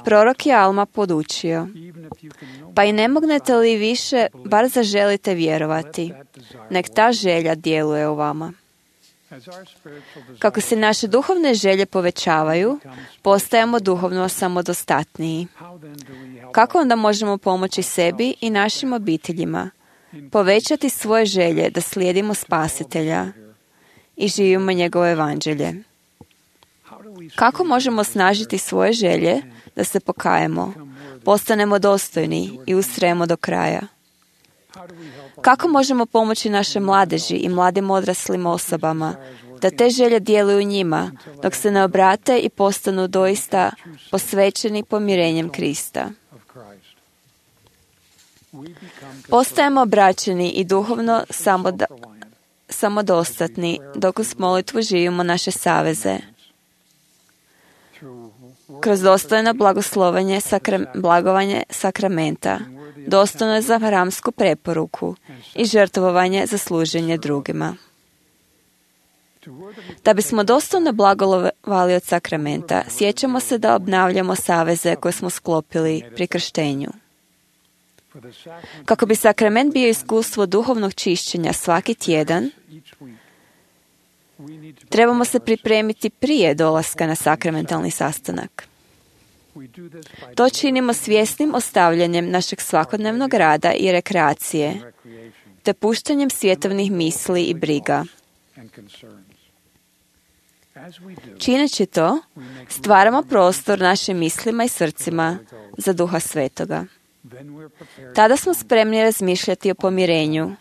Prorok je Alma podučio, pa i ne mognete li više, bar zaželite vjerovati, nek ta želja djeluje u vama. Kako se naše duhovne želje povećavaju, postajemo duhovno samodostatniji. Kako onda možemo pomoći sebi i našim obiteljima, povećati svoje želje da slijedimo Spasitelja i živimo njegovo evanđelje? Kako možemo osnažiti svoje želje da se pokajemo, postanemo dostojni i ustrajemo do kraja? Kako možemo pomoći naše mladeži i mladim odraslim osobama da te želje djeluju njima dok se ne obrate i postanu doista posvećeni pomirenjem Krista? Postajemo obraćeni i duhovno samodostatni dok uz molitvu živimo naše saveze. Kroz dostojno blagovanje sakramenta, dostojno za hramsku preporuku i žrtvovanje za služenje drugima. Da bismo dostojno blagovali od sakramenta, sjećamo se da obnavljamo saveze koje smo sklopili pri krštenju. Kako bi sakrament bio iskustvo duhovnog čišćenja svaki tjedan, trebamo se pripremiti prije dolaska na sakramentalni sastanak. To činimo svjesnim ostavljanjem našeg svakodnevnog rada i rekreacije, te puštanjem svjetovnih misli i briga. Čineći to, stvaramo prostor našim mislima i srcima za Duha Svetoga. Tada smo spremni razmišljati o pomirenju.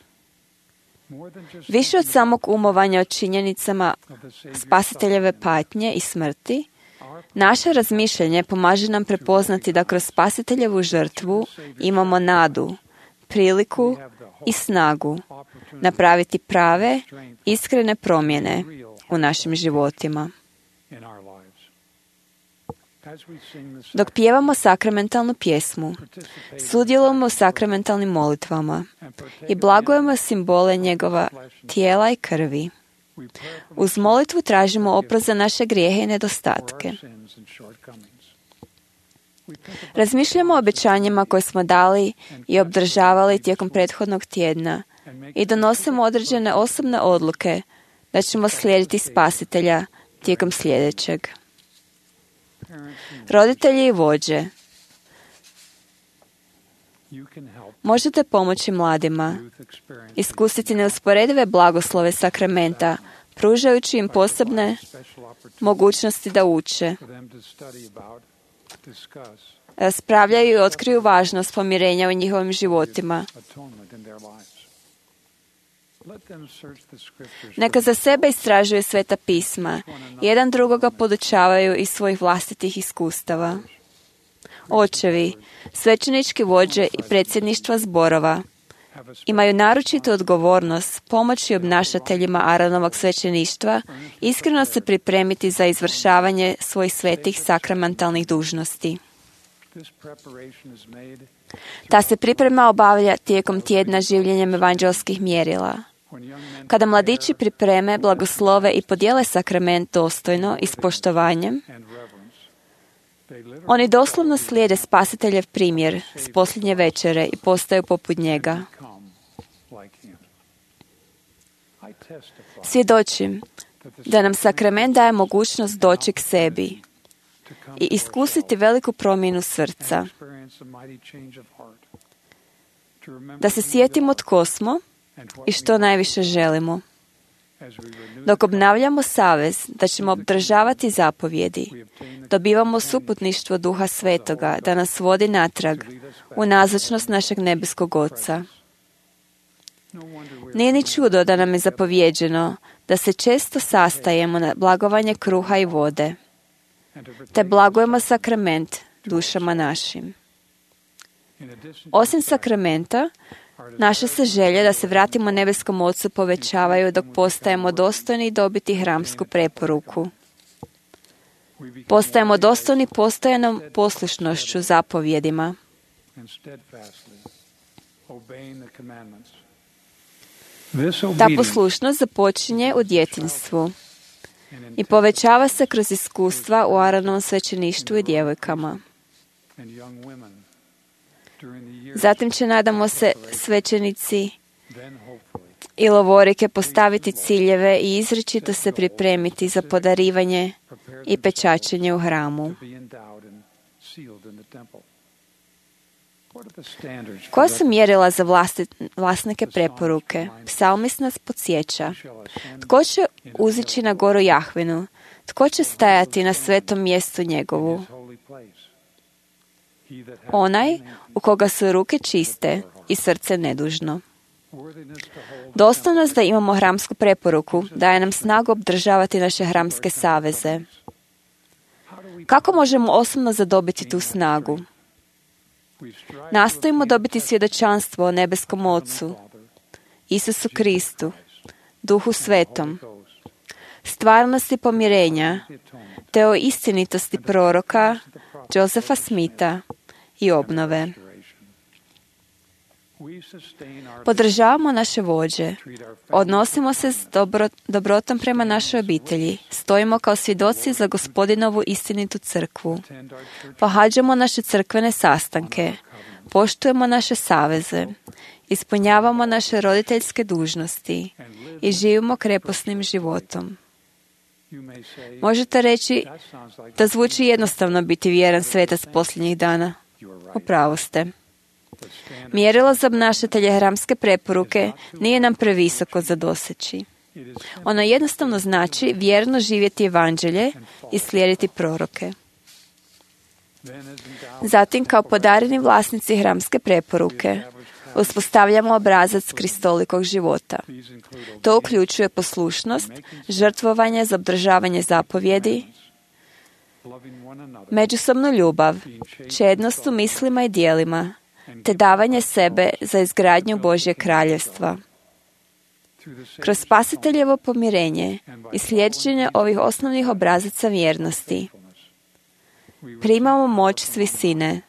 Više od samog umovanja o činjenicama Spasiteljeve patnje i smrti, naše razmišljanje pomaže nam prepoznati da kroz Spasiteljevu žrtvu imamo nadu, priliku i snagu napraviti prave, iskrene promjene u našim životima. Dok pjevamo sakramentalnu pjesmu, sudjelujemo u sakramentalnim molitvama i blagujemo simbole njegova tijela i krvi. Uz molitvu tražimo oprost za naše grijehe i nedostatke. Razmišljamo o obećanjima koje smo dali i obdržavali tijekom prethodnog tjedna i donosimo određene osobne odluke da ćemo slijediti Spasitelja tijekom sljedećeg. Roditelji i vođe, možete pomoći mladima iskusiti neusporedive blagoslove sakramenta, pružajući im posebne mogućnosti da uče raspravljaju i otkriju važnost pomirenja u njihovim životima. Neka za sebe istražuju Sveta pisma, jedan drugoga podučavaju iz svojih vlastitih iskustava. Očevi, svećenički vođe i predsjedništva zborova imaju naročitu odgovornost pomoći obnašateljima Aaronovog svećeništva iskreno se pripremiti za izvršavanje svojih svetih sakramentalnih dužnosti. Ta se priprema obavlja tijekom tjedna življenjem evanđelskih mjerila. Kada mladići pripreme, blagoslove i podijele sakrament dostojno i s poštovanjem, oni doslovno slijede Spasiteljev primjer s posljednje večere i postaju poput njega. Svjedočim da nam sakrament daje mogućnost doći k sebi i iskusiti veliku promjenu srca. Da se sjetimo tko smo i što najviše želimo. Dok obnavljamo savez da ćemo obdržavati zapovjedi, dobivamo suputništvo Duha Svetoga da nas vodi natrag u nazočnost našeg nebeskog Oca. Nije ni čudo da nam je zapovjeđeno da se često sastajemo na blagovanje kruha i vode, te blagujemo sakrament dušama našim. Osim sakramenta, naše se želje da se vratimo nebeskom Ocu povećavaju dok postajemo dostojni dobiti hramsku preporuku. Postajemo dostojni postojanom poslušnošću zapovjedima. Ta poslušnost započinje u djetinjstvu i povećava se kroz iskustva u Aaronovom svećeništvu i djevojkama. Zatim će, nadamo se, svećenici i lovorike postaviti ciljeve i izričito se pripremiti za podarivanje i pečačenje u hramu. Koja su mjerila za vlasnike preporuke? Psalmist nas podsjeća. Tko će uzići na goru Jahvinu? Tko će stajati na svetom mjestu njegovu? Onaj u koga su ruke čiste i srce nedužno. Dostojnost da imamo hramsku preporuku daje nam snagu obdržavati naše hramske saveze. Kako možemo osobno zadobiti tu snagu? Nastojimo dobiti svjedočanstvo o nebeskom Ocu, Isusu Kristu, Duhu Svetom, stvarnosti pomirenja, te o istinitosti proroka Josefa Smitha i obnove. Podržavamo naše vođe, odnosimo se s dobrotom prema našoj obitelji, stojimo kao svjedoci za Gospodinovu istinitu crkvu, pohađamo naše crkvene sastanke, poštujemo naše saveze, ispunjavamo naše roditeljske dužnosti i živimo kreposnim životom. Možete reći da zvuči jednostavno biti vjeran svetac posljednjih dana. U pravu ste. Mjerilo za obnašatelje hramske preporuke nije nam previsoko za doseći. Ono jednostavno znači vjerno živjeti evanđelje i slijediti proroke. Zatim, kao podareni vlasnici hramske preporuke, uspostavljamo obrazac kristolikog života. To uključuje poslušnost, žrtvovanje za obdržavanje zapovjedi, međusobnu ljubav, čednost u mislima i djelima, te davanje sebe za izgradnju Božjeg kraljevstva. Kroz Spasiteljevo pomirenje i slijeđenje ovih osnovnih obrazaca vjernosti primamo moć s visine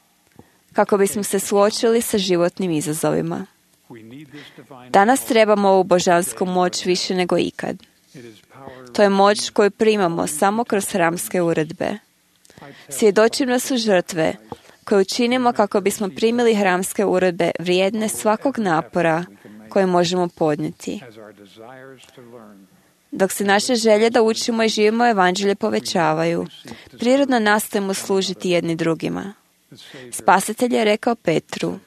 kako bismo se suočili sa životnim izazovima. Danas trebamo ovu božansku moć više nego ikad. To je moć koju primamo samo kroz hramske uredbe. Svjedočim da su žrtve koje učinimo kako bismo primili hramske uredbe vrijedne svakog napora koje možemo podnijeti. Dok se naše želje da učimo i živimo evanđelje povećavaju, prirodno nastojimo služiti jedni drugima. Spasitelj je rekao Petru: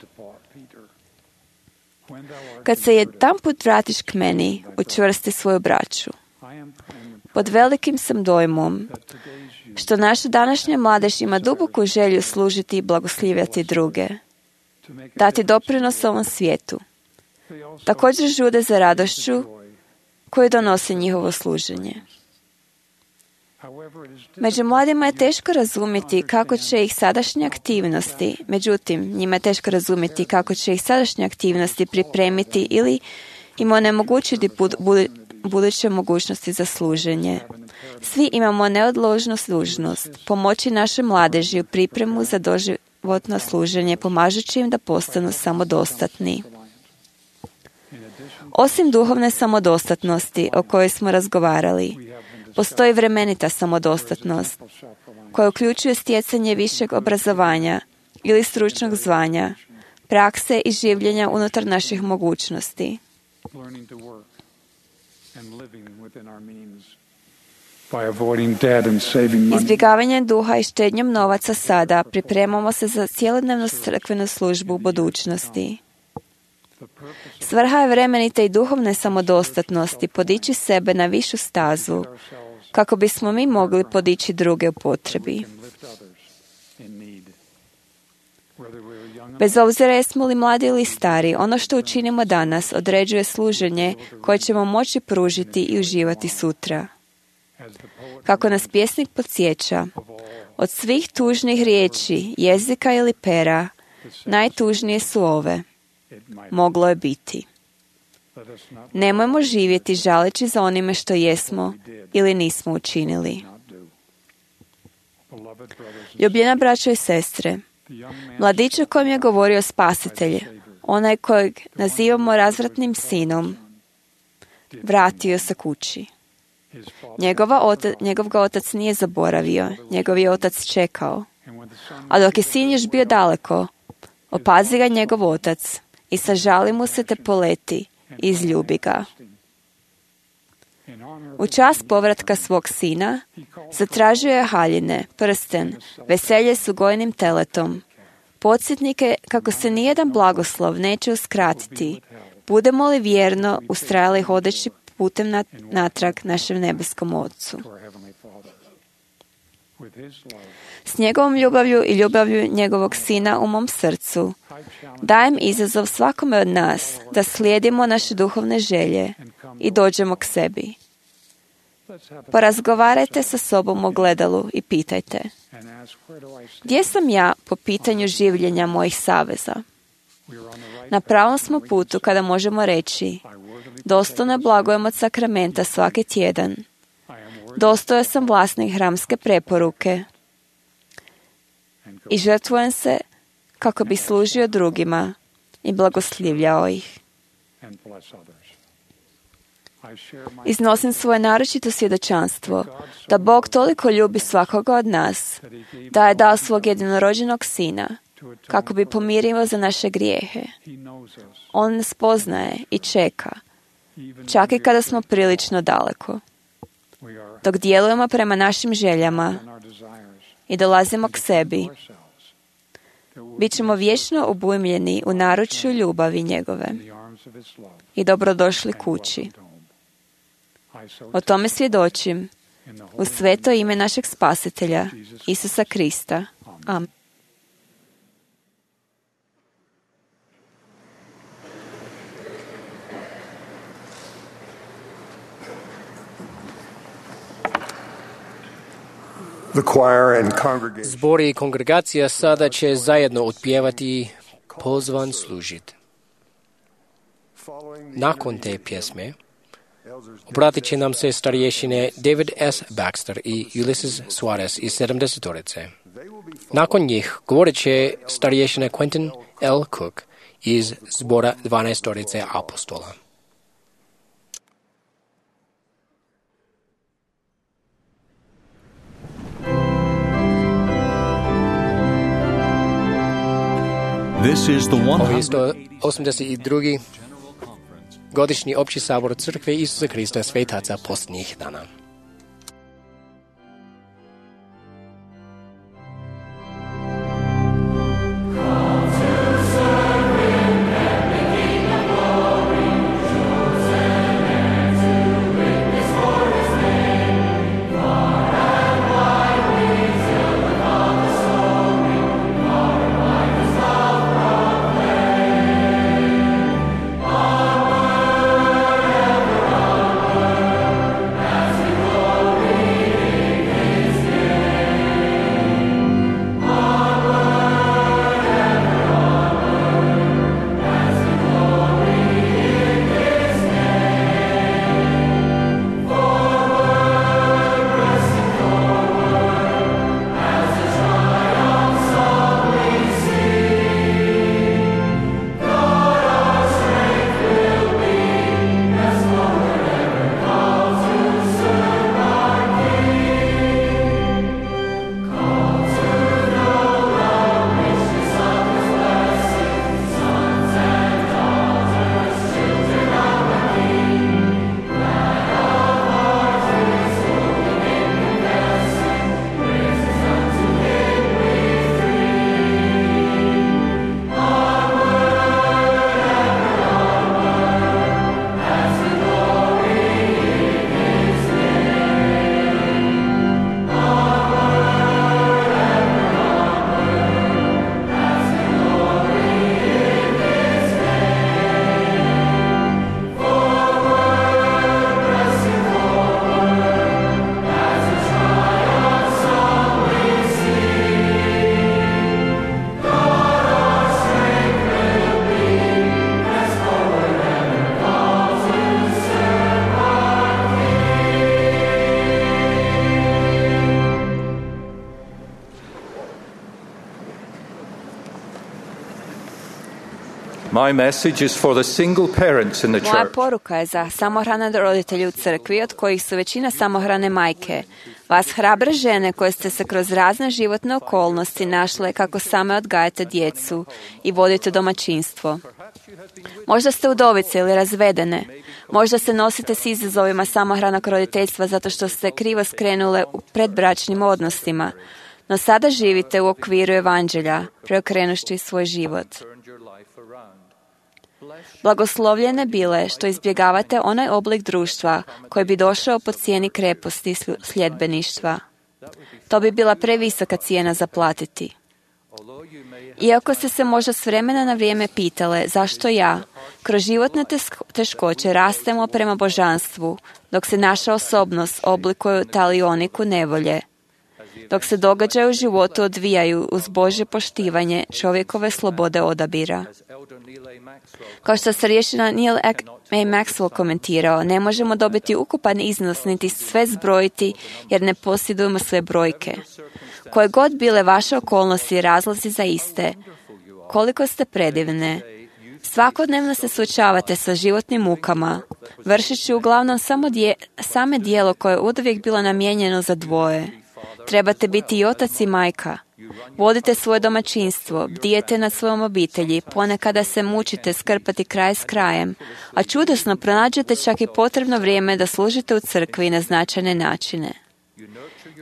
kad se jedanput vratiš k meni, učvrsti svoju braću. Pod velikim sam dojmom što naša današnja mladež ima duboku želju služiti i blagoslivljati druge, dati doprinos ovom svijetu. Također žude za radošću koju donosi njihovo služenje. Među mladima je teško razumjeti kako će ih sadašnje aktivnosti, njima je teško razumjeti kako će ih sadašnje aktivnosti pripremiti ili im onemogućiti buduće mogućnosti za služenje. Svi imamo neodložnu dužnost pomoći našoj mladeži u pripremu za doživotno služenje, pomažući im da postanu samodostatni. Osim duhovne samodostatnosti o kojoj smo razgovarali, postoji vremenita samodostatnost koja uključuje stjecanje višeg obrazovanja ili stručnog zvanja, prakse i življenja unutar naših mogućnosti. Izbjegavanjem duha i štednjom novaca sada pripremamo se za cjelodnevnu crkvenu službu u budućnosti. Svrha je vremenite i duhovne samodostatnosti podići sebe na višu stazu, kako bismo mi mogli podići druge u potrebi. Bez obzira jesmo li mladi ili stari, ono što učinimo danas određuje služenje koje ćemo moći pružiti i uživati sutra. Kako nas pjesnik podsjeća, od svih tužnih riječi, jezika ili pera, najtužnije su ove. Moglo je biti. Nemojmo živjeti žaleći za onime što jesmo ili nismo učinili. Ljubljena braćo i sestre, mladić o kojem je govorio Spasitelj, onaj kojeg nazivamo razvratnim sinom, vratio se kući. Njegov ga otac nije zaboravio, njegov je otac čekao. A dok je sin još bio daleko, opazi ga njegov otac i sažali mu se te poleti i izljubi ga. U čast povratka svog sina zatražio je haljine, prsten, veselje s ugojnim teletom, podsjetnike kako se nijedan blagoslov neće uskratiti, budemo li vjerno ustrajali hodeći putem natrag našem nebeskom Otcu. S njegovom ljubavlju i ljubavlju njegovog sina u mom srcu dajem izazov svakome od nas da slijedimo naše duhovne želje i dođemo k sebi. Porazgovarajte sa sobom u ogledalu i pitajte: gdje sam ja po pitanju življenja mojih saveza? Na pravom smo putu kada možemo reći: dostojno blagujem od sakramenta svaki tjedan. Dostojan sam vlasnik hramske preporuke i žrtvujem se kako bi služio drugima i blagoslivljao ih. Iznosim svoje naročito svjedočanstvo da Bog toliko ljubi svakoga od nas, da je dao svog jedinorođenog sina kako bi pomirio za naše grijehe. On nas poznaje i čeka, čak i kada smo prilično daleko. Dok djelujemo prema našim željama i dolazimo k sebi, bit ćemo vječno obujmljeni u naručju ljubavi njegove i dobrodošli kući. O tome svjedočim u sveto ime našeg Spasitelja, Isusa Krista. Amen. Zbor i kongregacija sada će zajedno otpjevati Pozvan služit. Nakon te pjesme obratit će nam se starješine David S. Baxter i Ulysses Suarez iz 70-torice. Nakon njih govorit će starješine Quentin L. Cook iz zbora 12-torice apostola. Ovo je 182. godišnji opći sabor Crkve Isusa Krista svetaca posljednjih dana. My message is for the single parents in the Moja church. poruka je za samohrane roditelje u crkvi, od kojih su većina samohrane majke. Vas hrabre žene koje ste se kroz razne životne okolnosti našle kako same odgajate djecu i vodite domaćinstvo. Možda ste udovice ili razvedene. Možda se nosite s izazovima samohranog roditeljstva zato što ste krivo skrenule u predbračnim odnosima. No sada živite u okviru evanđelja, preokrenuši svoj život. Blagoslovljene bile što izbjegavate onaj oblik društva koji bi došao po cijeni kreposti i sljedbeništva. To bi bila previsoka cijena za platiti. Iako ste se možda s vremena na vrijeme pitale zašto ja, kroz životne teškoće rastemo prema božanstvu, dok se naša osobnost oblikuje u talioniku nevolje, dok se događaje u životu odvijaju uz Božje poštivanje čovjekove slobode odabira. Kao što se riješina Neil A. Maxwell komentirao, ne možemo dobiti ukupan iznos niti sve zbrojiti jer ne posjedujemo sve brojke. Koje god bile vaše okolnosti i razlozi za iste, koliko ste predivne. Svakodnevno se suočavate sa životnim mukama, vršeći uglavnom same dijelo koje je uvijek bilo namijenjeno za dvoje. Trebate biti i otac i majka. Vodite svoje domaćinstvo, bdijete nad svojom obitelji, ponekada se mučite skrpati kraj s krajem, a čudesno pronađete čak i potrebno vrijeme da služite u crkvi na značajne načine.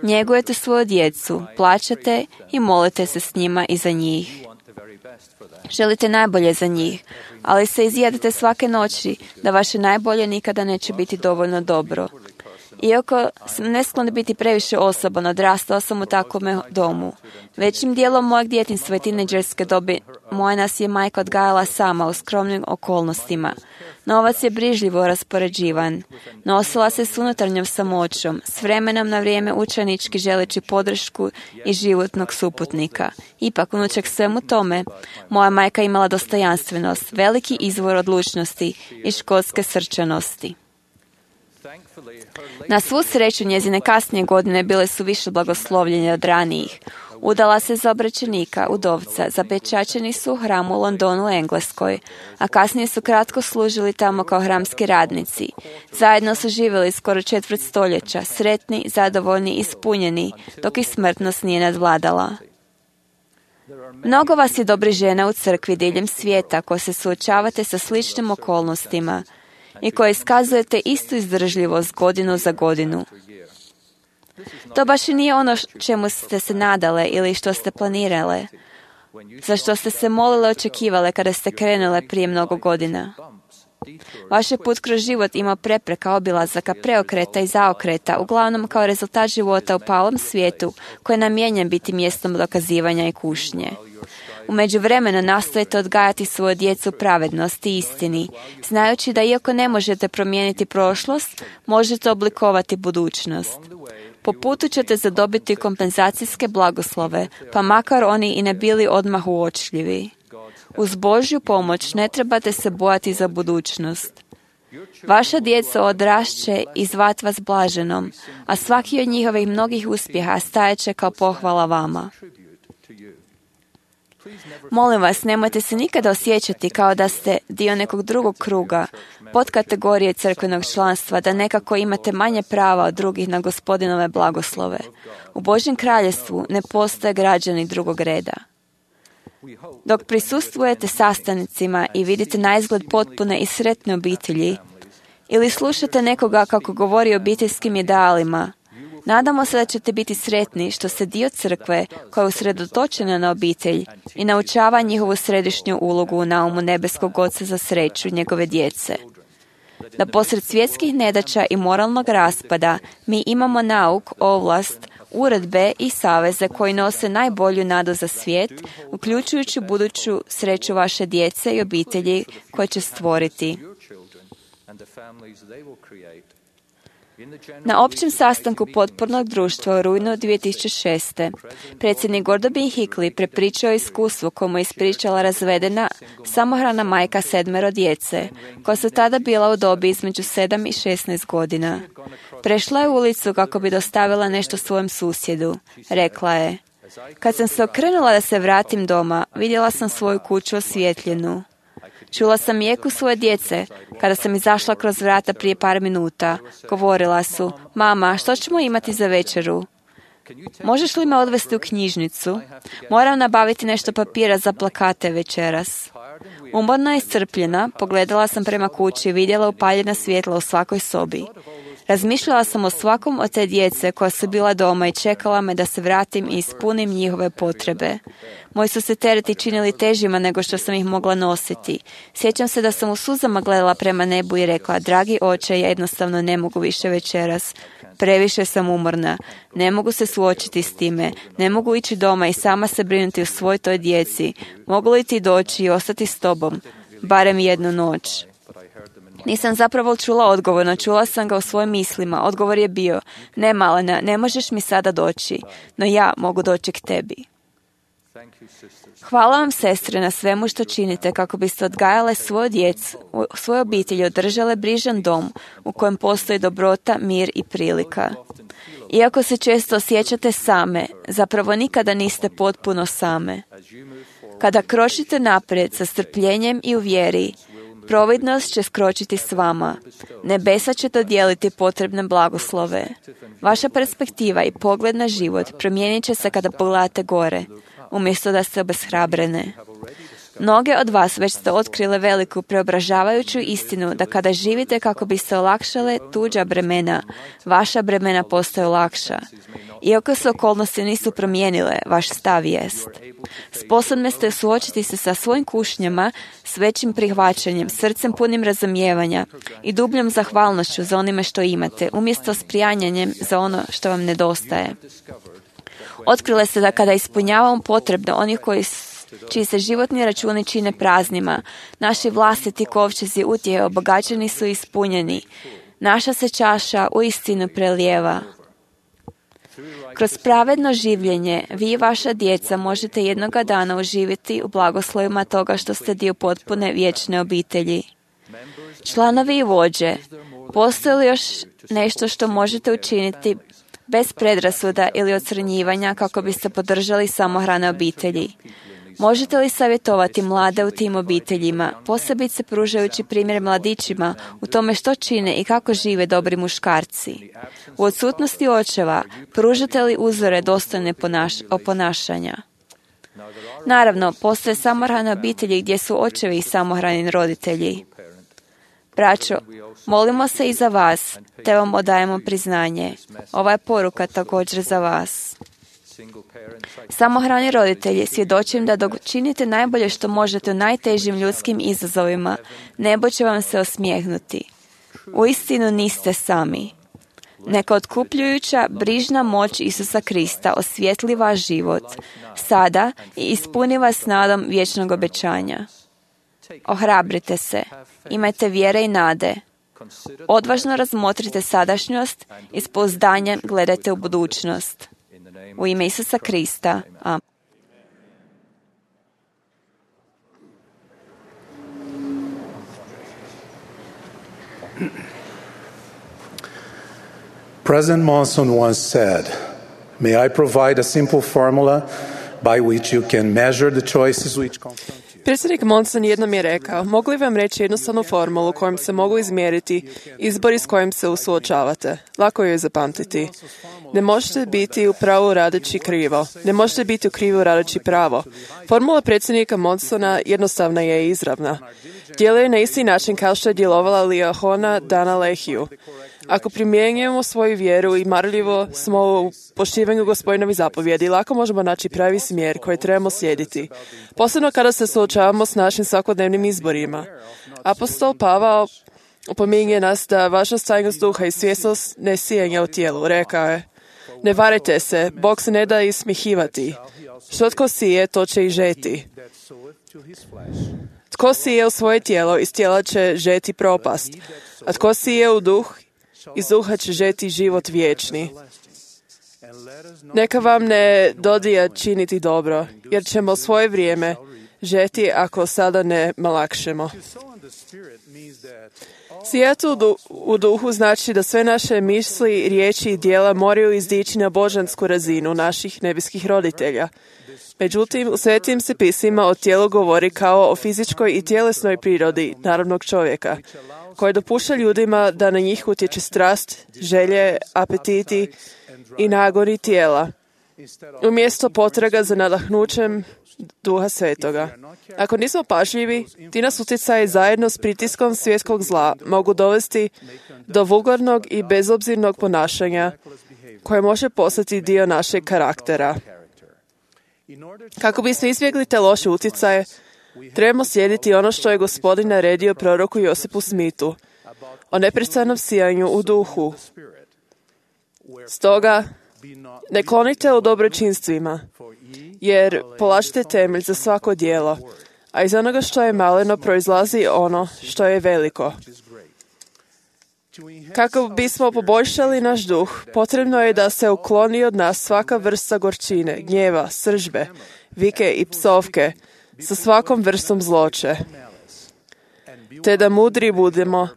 Njegujete svoju djecu, plaćate i molite se s njima i za njih. Želite najbolje za njih, ali se izjedete svake noći da vaše najbolje nikada neće biti dovoljno dobro. Iako sam nesklon biti previše osoban, odrastao sam u takvome domu. Većim dijelom mojeg djetinjstva i tinejdžerske dobi moja nas je majka odgajala sama u skromnim okolnostima. Novac je brižljivo raspoređivan. Nosila se s unutarnjom samoćom, s vremenom na vrijeme učenički želeći podršku i životnog suputnika. Ipak, unučeg svemu tome, moja majka imala dostojanstvenost, veliki izvor odlučnosti i školske srčanosti. Na svu sreću, njezine kasnije godine bile su više blagoslovljene od ranijih. Udala se za obraćenika, udovca, zapečaćeni su u hramu u Londonu, Engleskoj, a kasnije su kratko služili tamo kao hramski radnici. Zajedno su živjeli skoro 4 stoljeća, sretni, zadovoljni, ispunjeni, dok ih smrtnost nije nadvladala. Mnogo vas je dobri žena u crkvi diljem svijeta koji se suočavate sa sličnim okolnostima i koje iskazujete istu izdržljivost godinu za godinu. To baš i nije ono čemu ste se nadale ili što ste planirale, za što ste se molile i očekivale kada ste krenule prije mnogo godina. Vaš je put kroz život imao prepreka, obilazaka, preokreta i zaokreta, uglavnom kao rezultat života u palom svijetu koji je namijenjen biti mjestom dokazivanja i kušnje. U međuvremenu nastojite odgajati svoju djecu u pravednosti i istini, znajući da iako ne možete promijeniti prošlost, možete oblikovati budućnost. Po putu ćete zadobiti kompenzacijske blagoslove, pa makar oni i ne bili odmah uočljivi. Uz Božju pomoć ne trebate se bojati za budućnost. Vaša djeca odrašće i zvat vas blaženom, a svaki od njihovih mnogih uspjeha stajeće kao pohvala vama. Molim vas, nemojte se nikada osjećati kao da ste dio nekog drugog kruga, podkategorije crkvenog članstva, da nekako imate manje prava od drugih na Gospodinove blagoslove. U Božjem kraljevstvu ne postoje građani drugog reda. Dok prisustvujete sastancima i vidite naizgled potpune i sretne obitelji, ili slušate nekoga kako govori o obiteljskim idealima, nadamo se da ćete biti sretni što ste dio crkve koja je usredotočena na obitelj i naučava njihovu središnju ulogu u naumu nebeskog Oca za sreću njegove djece. Da posred svjetskih nedaća i moralnog raspada mi imamo nauk, ovlast, uredbe i saveze koji nose najbolju nadu za svijet, uključujući buduću sreću vaše djece i obitelji koje će stvoriti. Na općem sastanku potpornog društva u rujnu 2006. predsjednik Gordon B. Hinckley prepričao je iskustvo koje mu je ispričala razvedena samohrana majka 7 djece, koja su tada bila u dobi između 7 i 16 godina. Prešla je ulicu kako bi dostavila nešto svojem susjedu. Rekla je: "Kad sam se okrenula da se vratim doma, vidjela sam svoju kuću osvjetljenu. Čula sam mjeku svoje djece kada sam izašla kroz vrata prije par minuta. Govorila su, mama, što ćemo imati za večeru? Možeš li me odvesti u knjižnicu? Moram nabaviti nešto papira za plakate večeras. Umorna i iscrpljena, pogledala sam prema kući i vidjela upaljena svjetla u svakoj sobi. Razmišljala sam o svakom od te djece koja su bila doma i čekala me da se vratim i ispunim njihove potrebe. Moji su se tereti činili težima nego što sam ih mogla nositi. Sjećam se da sam u suzama gledala prema nebu i rekla, dragi oče, ja jednostavno ne mogu više večeras. Previše sam umorna. Ne mogu se suočiti s time. Ne mogu ići doma i sama se brinuti o svoj toj djeci. Mogu li ti doći i ostati s tobom? Barem jednu noć. Nisam zapravo čula odgovor, no čula sam ga u svojim mislima. Odgovor je bio, ne malena, ne možeš mi sada doći, no ja mogu doći k tebi. Hvala vam, sestre, na svemu što činite kako biste odgajale svoju djecu, svoje obitelji, održale brižan dom u kojem postoji dobrota, mir i prilika. Iako se često osjećate same, zapravo nikada niste potpuno same. Kada kročite naprijed sa strpljenjem i u vjeri, providnost će skročiti s vama. Nebesa će dodijeliti potrebne blagoslove. Vaša perspektiva i pogled na život promijenit će se kada pogledate gore, umjesto da ste obeshrabrene. Mnoge od vas već ste otkrile veliku preobražavajuću istinu da kada živite kako biste olakšale tuđa bremena, vaša bremena postaju lakša. Iako se okolnosti nisu promijenile, vaš stav jest. Sposobni ste suočiti se sa svojim kušnjama s većim prihvaćanjem, srcem punim razumijevanja i dubljom zahvalnošću za onime što imate, umjesto s prijanjanjem za ono što vam nedostaje. Otkrile ste da kada ispunjavamo potrebno onih čiji se životni računi čine praznima, naši vlastiti kovčezi utjehe obogaćeni su i ispunjeni. Naša se čaša uistinu prelijeva. Kroz pravedno življenje, vi i vaša djeca možete jednoga dana uživiti u blagoslovima toga što ste dio potpune vječne obitelji. Članovi i vođe, postoji li još nešto što možete učiniti bez predrasuda ili ocrnjivanja kako biste podržali samohrane obitelji? Možete li savjetovati mlade u tim obiteljima, posebice pružajući primjer mladićima u tome što čine i kako žive dobri muškarci? U odsutnosti očeva, pružate li uzore dostojne ponašanja? Naravno, postoje samohrane obitelji gdje su očevi i samohrani roditelji. Braćo, molimo se i za vas, te vam odajemo priznanje. Ova je poruka također za vas. Samohrani roditelji, svjedočim da dok činite najbolje što možete u najtežim ljudskim izazovima, nebo će vam se osmijehnuti. Uistinu niste sami. Neka otkupljujuća, brižna moć Isusa Krista osvijetli vaš život sada i ispuni vas nadom vječnog obećanja. Ohrabrite se, imajte vjere i nade. Odvažno razmotrite sadašnjost i s pouzdanjem gledajte u budućnost. U ime Isusa Krista. Amen. President Monson once said, "May I provide a simple formula by which you can measure the choices which confront you?" Predsjednik Monson jednom je rekao, mogu li vam reći jednostavnu formulu kojom se mogu izmjeriti izbori s kojim se suočavate? Lako je zapamtiti. Ne možete biti u pravu radeći krivo. Ne možete biti u krivu radeći pravo. Formula predsjednika Monsona jednostavna je i izravna. Djeluje na isti način kao što je djelovala Liahona dana Lehiju. Ako primjenjujemo svoju vjeru i marljivo smo u poštivanju Gospodinovih zapovjedi, lako možemo naći pravi smjer koji trebamo slijediti. Posebno kada se suočavamo s našim svakodnevnim izborima. Apostol Pavao opominje nas da važnost tajnost duha i svjesnost ne sijanja u tijelu. Rekao je, ne varite se, Bog se ne da ismihivati. Što tko sije, to će i žeti. Tko sije u svoje tijelo, iz tijela će žeti propast. A tko sije u duh, iz duha će žeti život vječni. Neka vam ne dodija činiti dobro, jer ćemo svoje vrijeme žeti ako sada ne malakšemo. Sijati u duhu znači da sve naše misli, riječi i djela moraju izdići na božansku razinu naših nebeskih roditelja. Međutim, u svetim se pismima o tijelu govori kao o fizičkoj i tjelesnoj prirodi naravnog čovjeka, koje dopušta ljudima da na njih utječe strast, želje, apetiti i nagoni tijela, umjesto potraga za nadahnućem Duha Svetoga. Ako nismo pažljivi, ti nas utjecaji zajedno s pritiskom svjetskog zla mogu dovesti do vulgarnog i bezobzirnog ponašanja koje može postati dio našeg karaktera. Kako bismo izbjegli te loše utjecaje, trebamo slijediti ono što je Gospodin naredio proroku Josipu Smithu o neprestanom sijanju u duhu. Stoga, ne klonite u dobročinstvima, jer polažite temelj za svako djelo, a iz onoga što je maleno proizlazi ono što je veliko. Kako bismo poboljšali naš duh, potrebno je da se ukloni od nas svaka vrsta gorčine, gnjeva, sržbe, vike i psovke sa svakom vrstom zloće, te da mudri budemo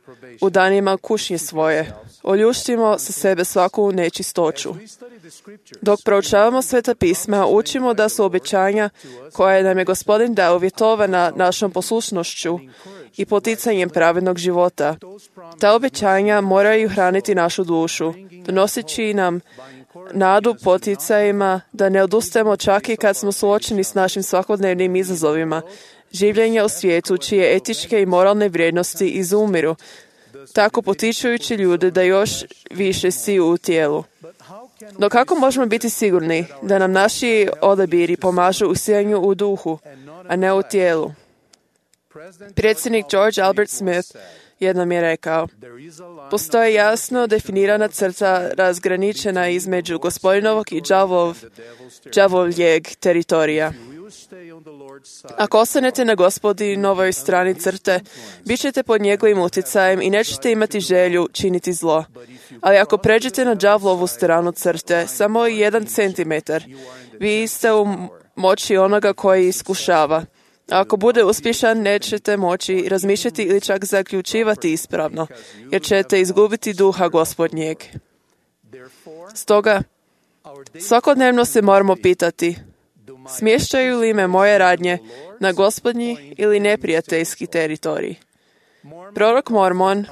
u danima kušnje svoje, oljuštimo sa sebe svaku nečistoću. Dok proučavamo Sveta pisma, učimo da su obećanja koje nam je Gospodin dao uvjetovana našom poslušnošću i poticanjem pravednog života. Ta obećanja moraju hraniti našu dušu, donoseći nam nadu poticajima da ne odustajemo čak i kad smo suočeni s našim svakodnevnim izazovima, življenja u svijetu čije etičke i moralne vrijednosti izumiru, tako potičujući ljude da još više siju u tijelu. No kako možemo biti sigurni da nam naši odabiri pomažu u sijanju u duhu, a ne u tijelu? Predsjednik George Albert Smith jednom je rekao: postoji jasno definirana crta razgraničena između Gospodinovog i đavoljeg teritorija. Ako ostanete na Gospodinovoj strani crte, bit ćete pod njegovim utjecajem i nećete imati želju činiti zlo. Ali ako pređete na đavlovu stranu crte, samo 1 centimetar, vi ste u moći onoga koji iskušava. A ako bude uspješan, nećete moći razmišljati ili čak zaključivati ispravno, jer ćete izgubiti duha Gospodnjeg. Stoga, svakodnevno se moramo pitati: smješćaju li me moje radnje na Gospodnji ili neprijateljski teritorij? Prorok Mormon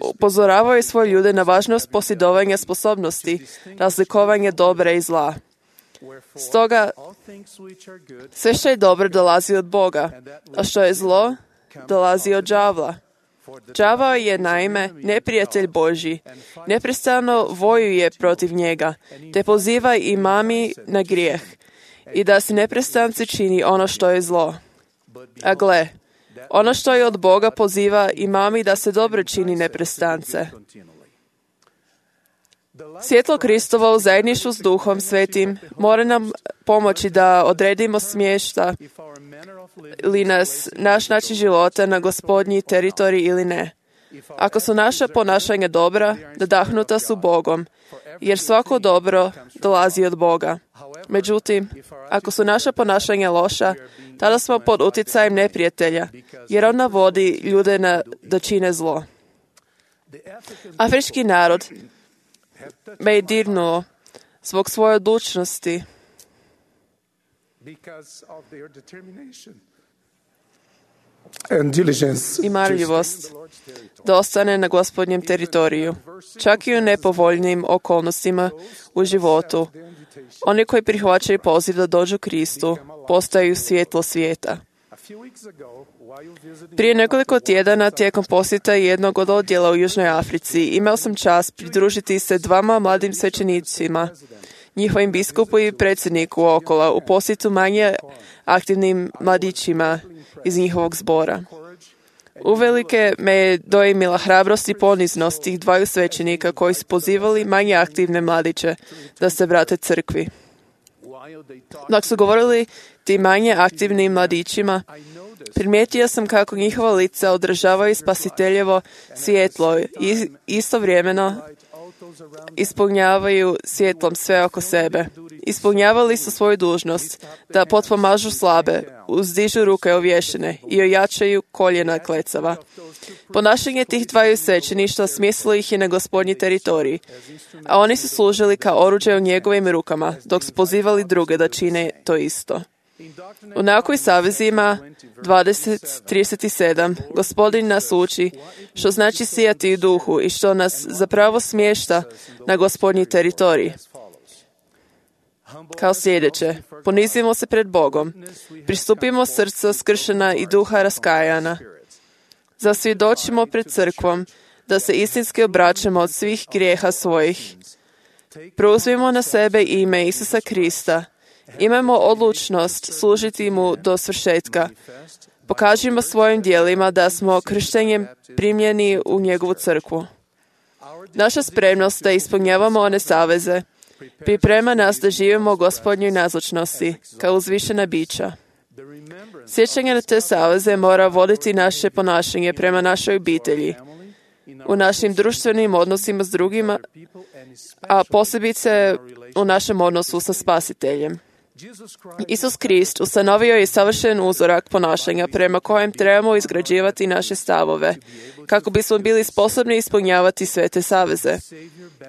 upozoravao je svoje ljude na važnost posjedovanja sposobnosti, razlikovanja dobra i zla. Stoga, sve što je dobro dolazi od Boga, a što je zlo dolazi od đavla. Đavao je naime neprijatelj Božji, neprestano vojuje protiv njega, te poziva i mami na grijeh i da se neprestance čini ono što je zlo. A gle, ono što je od Boga poziva i mami da se dobro čini neprestance. Svjetlo Kristovo u zajedništvu s Duhom Svetim mora nam pomoći da odredimo smješta li nas naš način života na Gospodnji teritorij ili ne. Ako su naša ponašanja dobra, nadahnuta su Bogom, jer svako dobro dolazi od Boga. Međutim, ako su naša ponašanja loša, tada smo pod utjecajem neprijatelja, jer on navodi ljude da čine zlo. Afrički narod me je dirnuo zbog svoje odlučnosti i marljivost da ostane na Gospodnjem teritoriju, čak i u nepovoljnim okolnostima u životu. Oni koji prihvaćaju poziv da dođu Kristu postaju svjetlo svijeta. Prije nekoliko tjedana tijekom posjeta jednog od odjela u Južnoj Africi imao sam čast pridružiti se 2 mladim svećenicima, njihovim biskupu i predsjedniku Okola, u posjetu manje aktivnim mladićima iz njihovog zbora. Uvelike me je dojmila hrabrost i poniznost tih 2 svećenika koji su pozivali manje aktivne mladiće da se vrate crkvi. Dok su govorili ti manje aktivnim mladićima, primijetio sam kako njihova lica održavaju spasiteljevo svjetlo i istovremeno ispunjavaju svjetlom sve oko sebe. Ispunjavali su svoju dužnost da potpomažu slabe, uzdižu ruke ovješene i ojačaju koljena klecava. Ponašanje tih 2 svećeništva smjestilo ih je na Gospodnji teritorij, a oni su služili kao oruđe u njegovim rukama, dok su pozivali druge da čine to isto. U nauku i savezima 20:37 Gospodin nas uči što znači sijati u duhu i što nas zapravo smješta na Gospodnji teritorij. Kao sljedeće, ponizimo se pred Bogom, pristupimo srca skršena i duha raskajana, zasvjedočimo pred crkvom da se istinski obraćamo od svih grijeha svojih. Preuzmimo na sebe ime Isusa Krista. Imamo odlučnost služiti mu do svršetka. Pokažimo svojim djelima da smo krštenjem primljeni u njegovu crkvu. Naša spremnost da ispunjavamo one saveze priprema nas da živimo u Gospodnjoj nazočnosti, kao uzvišena bića. Sjećanje na te saveze mora voditi naše ponašanje prema našoj obitelji, u našim društvenim odnosima s drugima, a posebice u našem odnosu sa Spasiteljem. Isus Krist ustanovio je savršen uzorak ponašanja prema kojem trebamo izgrađivati naše stavove, kako bismo bili sposobni ispunjavati sve te saveze.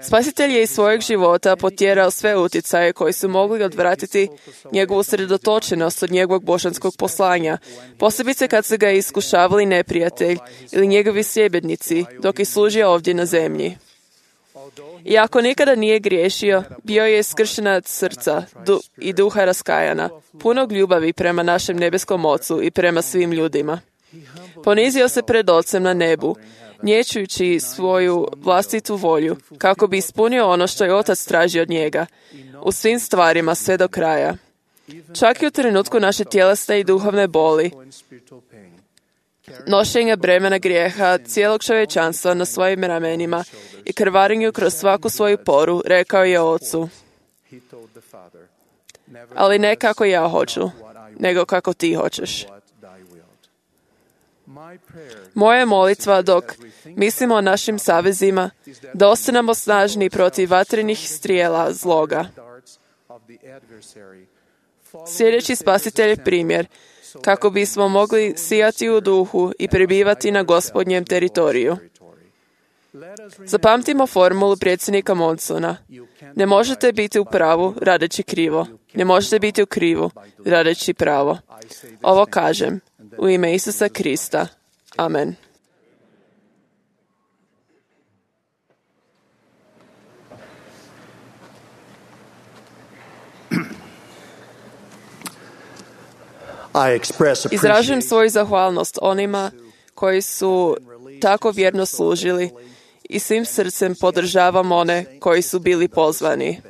Spasitelj je iz svojeg života potjerao sve utjecaje koji su mogli odvratiti njegovu sredotočenost od njegovog božanskog poslanja, posebice kad su ga iskušavali neprijatelj ili njegovi sljedbenici dok je služio ovdje na zemlji. Iako nikada nije griješio, bio je skršena srca i duha raskajana, punog ljubavi prema našem nebeskom Ocu i prema svim ljudima. Ponizio se pred Ocem na nebu, nječujući svoju vlastitu volju, kako bi ispunio ono što je Otac traži od njega, u svim stvarima sve do kraja. Čak i u trenutku naše tjelesne i duhovne boli, nošenja bremena grijeha cijelog čovječanstva na svojim ramenima i krvarenju kroz svaku svoju poru, rekao je Ocu: ali ne kako ja hoću, nego kako ti hoćeš. Moja molitva dok mislimo o našim savezima, da ostanemo snažni protiv vatrenih strijela zloga. Sljedeći Spasitelj primjer, kako bismo mogli sijati u duhu i prebivati na Gospodnjem teritoriju. Zapamtimo formulu predsjednika Monsona. Ne možete biti u pravu radeći krivo. Ne možete biti u krivu radeći pravo. Ovo kažem u ime Isusa Krista. Amen. Izražujem svoju zahvalnost onima koji su tako vjerno služili i svim srcem podržavam one koji su bili pozvani.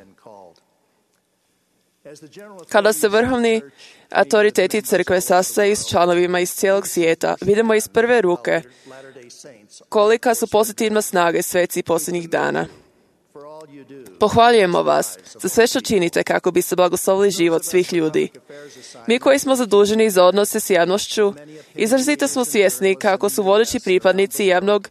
Kada se vrhovni autoriteti crkve sastaju s članovima iz cijelog svijeta, vidimo iz prve ruke kolika su pozitivna snage sveci posljednjih dana. Pohvaljujemo vas za sve što činite kako bi se blagoslovili život svih ljudi. Mi koji smo zaduženi za odnose s javnošću, izrazito smo svjesni kako su vodeći pripadnici javnog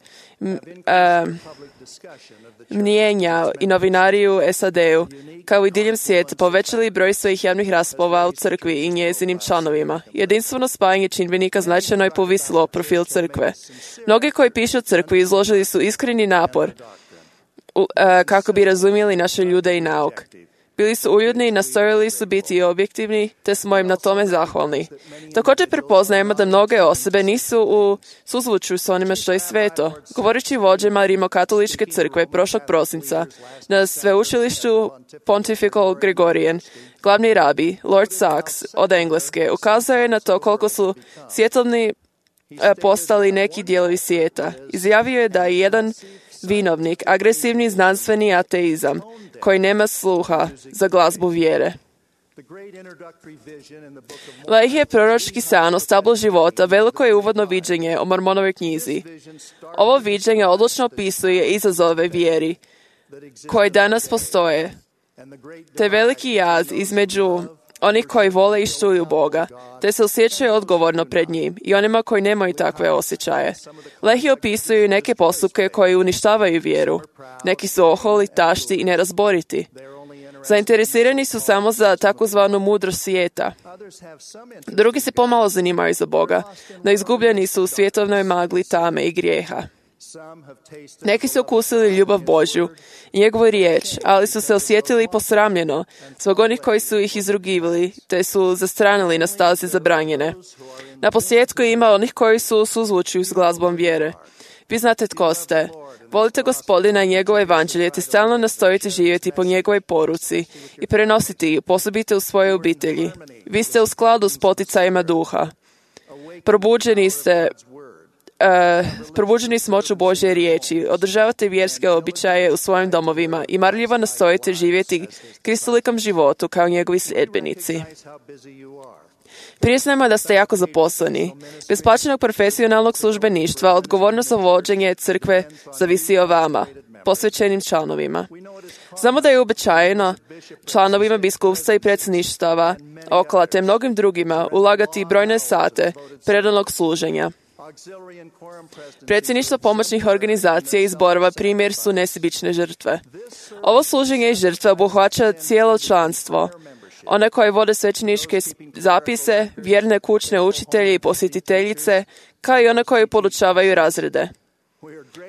mnijenja i novinari u SAD-u, kao i diljem svijeta, povećali broj svojih javnih rasprava u crkvi i njezinim članovima. Jedinstveno spajanje čimbenika značajno je povisilo profil crkve. Mnogi koji pišu o crkvi izložili su iskreni napor kako bi razumjeli naše ljude i nauk. Bili su uljudni i nastojali su biti objektivni, te smo im na tome zahvalni. Također prepoznajemo da mnoge osobe nisu u suzvučju s onime što je sveto. Govoreći vođama Rimokatoličke crkve prošlog prosinca na sveučilištu Pontifical Gregorian, glavni rabi, Lord Sachs od Engleske, ukazao je na to koliko su svjetovni postali neki dijelovi svijeta. Izjavio je da je jedan vinovnik, agresivni znanstveni ateizam, koji nema sluha za glazbu vjere. Lehi je proročki san o stablu života, veliko je uvodno viđenje o Mormonovoj knjizi. Ovo viđenje odlučno opisuje izazove vjeri koji danas postoje, te veliki jaz između onih koji vole i štuju Boga, te se osjećaju odgovorno pred njim, i onima koji nemaju takve osjećaje. Lehi opisuju neke postupke koji uništavaju vjeru. Neki su oholi, tašti i nerazboriti. Zainteresirani su samo za takozvanu mudrost svijeta. Drugi se pomalo zanimaju za Boga, no izgubljeni su u svjetovnoj magli tame i grijeha. Neki su okusili ljubav Božju i njegovu riječ, ali su se osjetili posramljeno zbog onih koji su ih izrugivali, te su zastranili na stazi zabranjene. Na posljedku ima onih koji su u suzvučju s glazbom vjere. Vi znate tko ste. Volite Gospodina i njegovo evanđelje, te stalno nastojite živjeti po njegovoj poruci i prenositi ju, posebite u svoje obitelji. Vi ste u skladu s poticajima duha. Probuđeni s moću Božje riječi, održavate vjerske običaje u svojim domovima i marljivo nastojite živjeti kristolikom životu kao njegovi sljedbenici. Priznajmo da ste jako zaposleni. Bez plaćenog profesionalnog službeništva odgovornost za vođenje crkve zavisi o vama, posvećenim članovima. Znamo da je uobičajeno članovima biskupstva i predsjedništava, okla te mnogim drugima ulagati brojne sate predanog služenja. Predsjedništvo pomoćnih organizacija i zborova primjer su nesebične žrtve. Ovo služenje i žrtva obuhvaća cijelo članstvo, one koje vode svećeničke zapise, vjerne kućne učitelje i posjetiteljice, kao i one koje podučavaju razrede.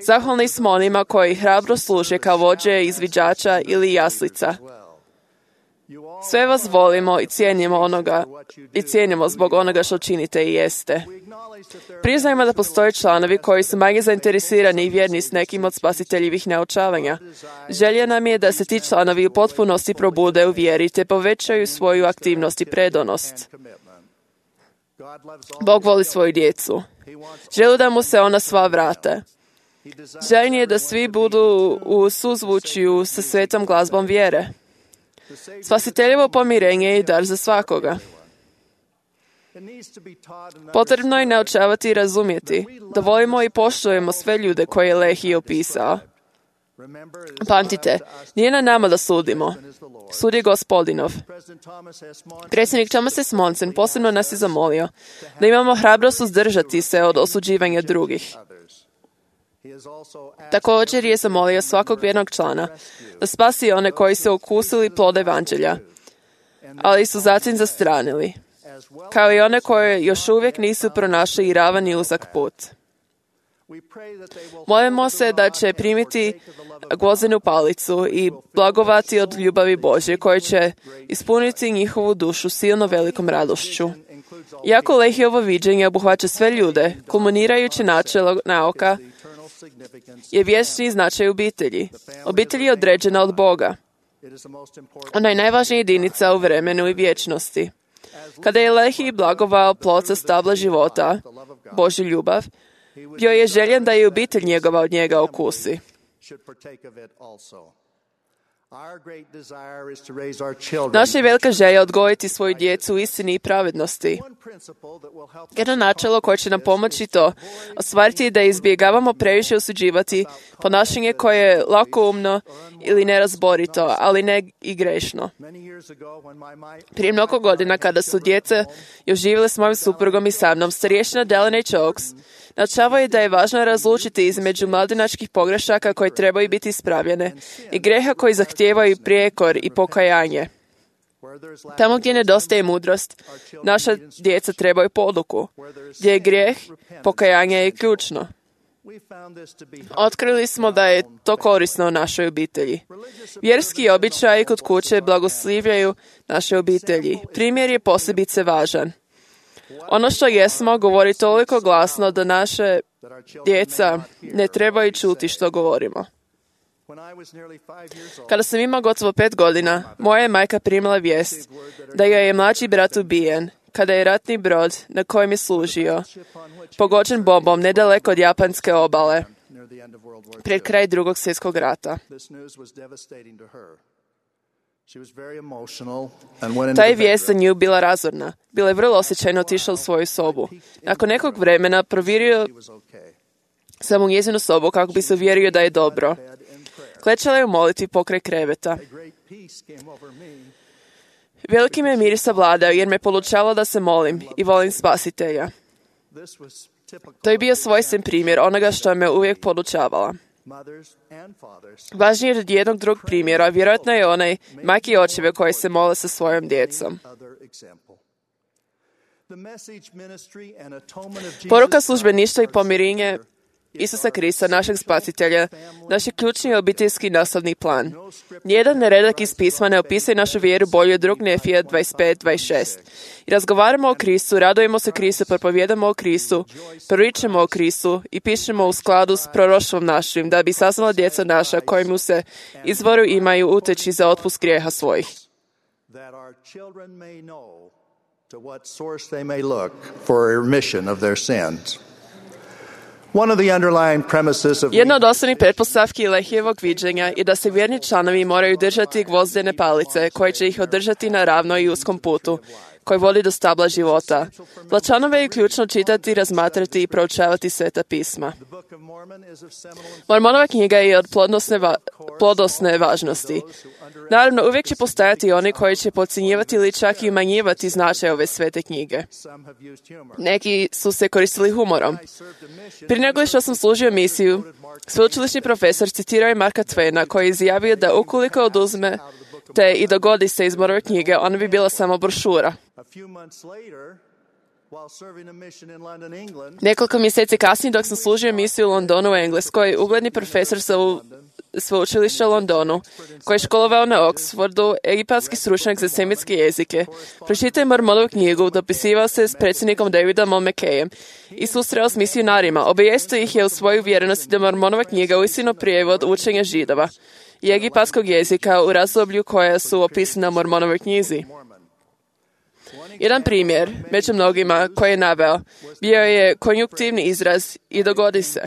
Zahvalni smo onima koji hrabro služe kao vođe izviđača ili jaslica. Sve vas volimo i cijenimo zbog onoga što činite i jeste. Priznajmo da postoje članovi koji su manje zainteresirani i vjerni s nekim od spasiteljivih naučavanja. Želja nam je da se ti članovi u potpunosti probude u vjeri te povećaju svoju aktivnost i predanost. Bog voli svoju djecu. Želi da mu se ona sva vrate. Željen je da svi budu u suzvučju sa svetom glazbom vjere. Spasiteljevo pomirenje je dar za svakoga. Potrebno je naučavati i razumjeti da volimo i poštujemo sve ljude koje je Lehi opisao. Pamtite, nije na nama da sudimo. Sud je Gospodinov. Predsjednik Thomas S. Monson posebno nas je zamolio da imamo hrabrost uzdržati se od osuđivanja drugih. Također je zamolio svakog vjernog člana da spasi one koji su okusili plod evanđelja, ali su zatim zastranili, kao i one koje još uvijek nisu pronašli ravan i uzak put. Molimo se da će primiti gvozdenu palicu i blagovati od ljubavi Božje, koje će ispuniti njihovu dušu silno velikom radošću. Iako Lehijevo viđenje obuhvaća sve ljude, kulminirajuće načelo nauka je vječni značaj obitelji. Obitelj je određena od Boga. Ona je najvažnija jedinica u vremenu i vječnosti. Kada je Lehi blagovao plod sa stabla života, Božju ljubav, bio je željen da i obitelj njegova od njega okusi. Naša je velika želja odgojiti svoju djecu u istini i pravednosti. Jedno načelo koje će nam pomoći to ostvariti je da izbjegavamo previše osuđivati ponašanje koje je lakoumno ili nerazborito, ali ne i grešno. Prije mnogo godina, kada su djeca još živjele s mojim suprugom i sa mnom, starješina Delaney Chokes naučavao je da je važno razlučiti između mladenačkih pogrešaka koje trebaju biti ispravljene i greha koji zahtijevaju prijekor i pokajanje. Tamo gdje nedostaje mudrost, naša djeca trebaju poduku. Gdje je grijeh, pokajanje je ključno. Otkrili smo da je to korisno u našoj obitelji. Vjerski običaji kod kuće blagoslivljaju naše obitelji. Primjer je posebice važan. Ono što jesmo govori toliko glasno da naše djeca ne trebaju čuti što govorimo. Kada sam imao gotovo 5 godina, moja je majka primila vijest da joj je mlađi brat ubijen, kada je ratni brod na kojem je služio pogođen bombom nedaleko od japanske obale pred kraj Drugog svjetskog rata. Ta je vijest za nju bila razorna. Bila je vrlo osjećajno otišla u svoju sobu. Nakon nekog vremena provjerio sam u njezinu sobu kako bi se uvjerio da je dobro. Klečala je u molitvi pokraj kreveta. Veliki me mir savladao jer me podučalo da se molim i volim Spasitelja. To je bio svojstven primjer onoga što me uvijek podučavala. Važnije od jednog drugog primjera vjerojatno je onaj majke i očeve koji se mole sa svojom djecom. Poruka službeništva i pomirenje Isusa Krista, našeg spasitelja, naš je ključni obiteljski nastavni plan. Nijedan redak iz pisma ne opisuje našu vjeru bolje od 2. Nefija 25:26. I razgovaramo o Kristu, radujemo se Kristu, propovijedamo o Kristu, proričemo o Kristu i pišemo u skladu s proroštvom našim, da bi saznala djeca naša kojemu se izvoru imaju uteći za otpust grijeha svojih. That our children may know to what source they may look for remission of their sins. One of the underlying premises of Jedna od osnovnih pretpostavki Lehijevog viđenja je da se vjerni članovi moraju držati gvozdene palice koje će ih održati na ravnoj i uskom putu koji vodi do stabla života. Za članove je ključno čitati, razmatrati i proučavati Sveta pisma. Mormonova knjiga je od plodnosne važnosti. Naravno, uvijek će postojati oni koji će podcjenjivati ili čak i umanjivati značaj ove svete knjige. Neki su se koristili humorom. Prije nego što sam služio misiju, sveučilišni profesor citirao je Marka Twaina koji je izjavio da ukoliko oduzme te i dogodi se iz Mormone knjige, ona bi bila samo brošura. Nekoliko mjeseci kasnije, dok sam služio misiju u Londonu u Engleskoj, ugledni profesor sa sveučilišta u Londonu, koji je školovao na Oxfordu, egipatski stručnjak za semitske jezike, pročitao je Mormonovu knjigu, dopisivao se s predsjednikom Davidom McKayem i susreo s misionarima. Obavijestio ih je u svoju vjerenosti da Mormonova knjiga uistinu prijevod učenja Židova i egipatskog jezika u razdoblju koja su opisana u Mormonovoj knjizi. Jedan primjer, među mnogima, koji je naveo, bio je konjunktivni izraz i dogodi se,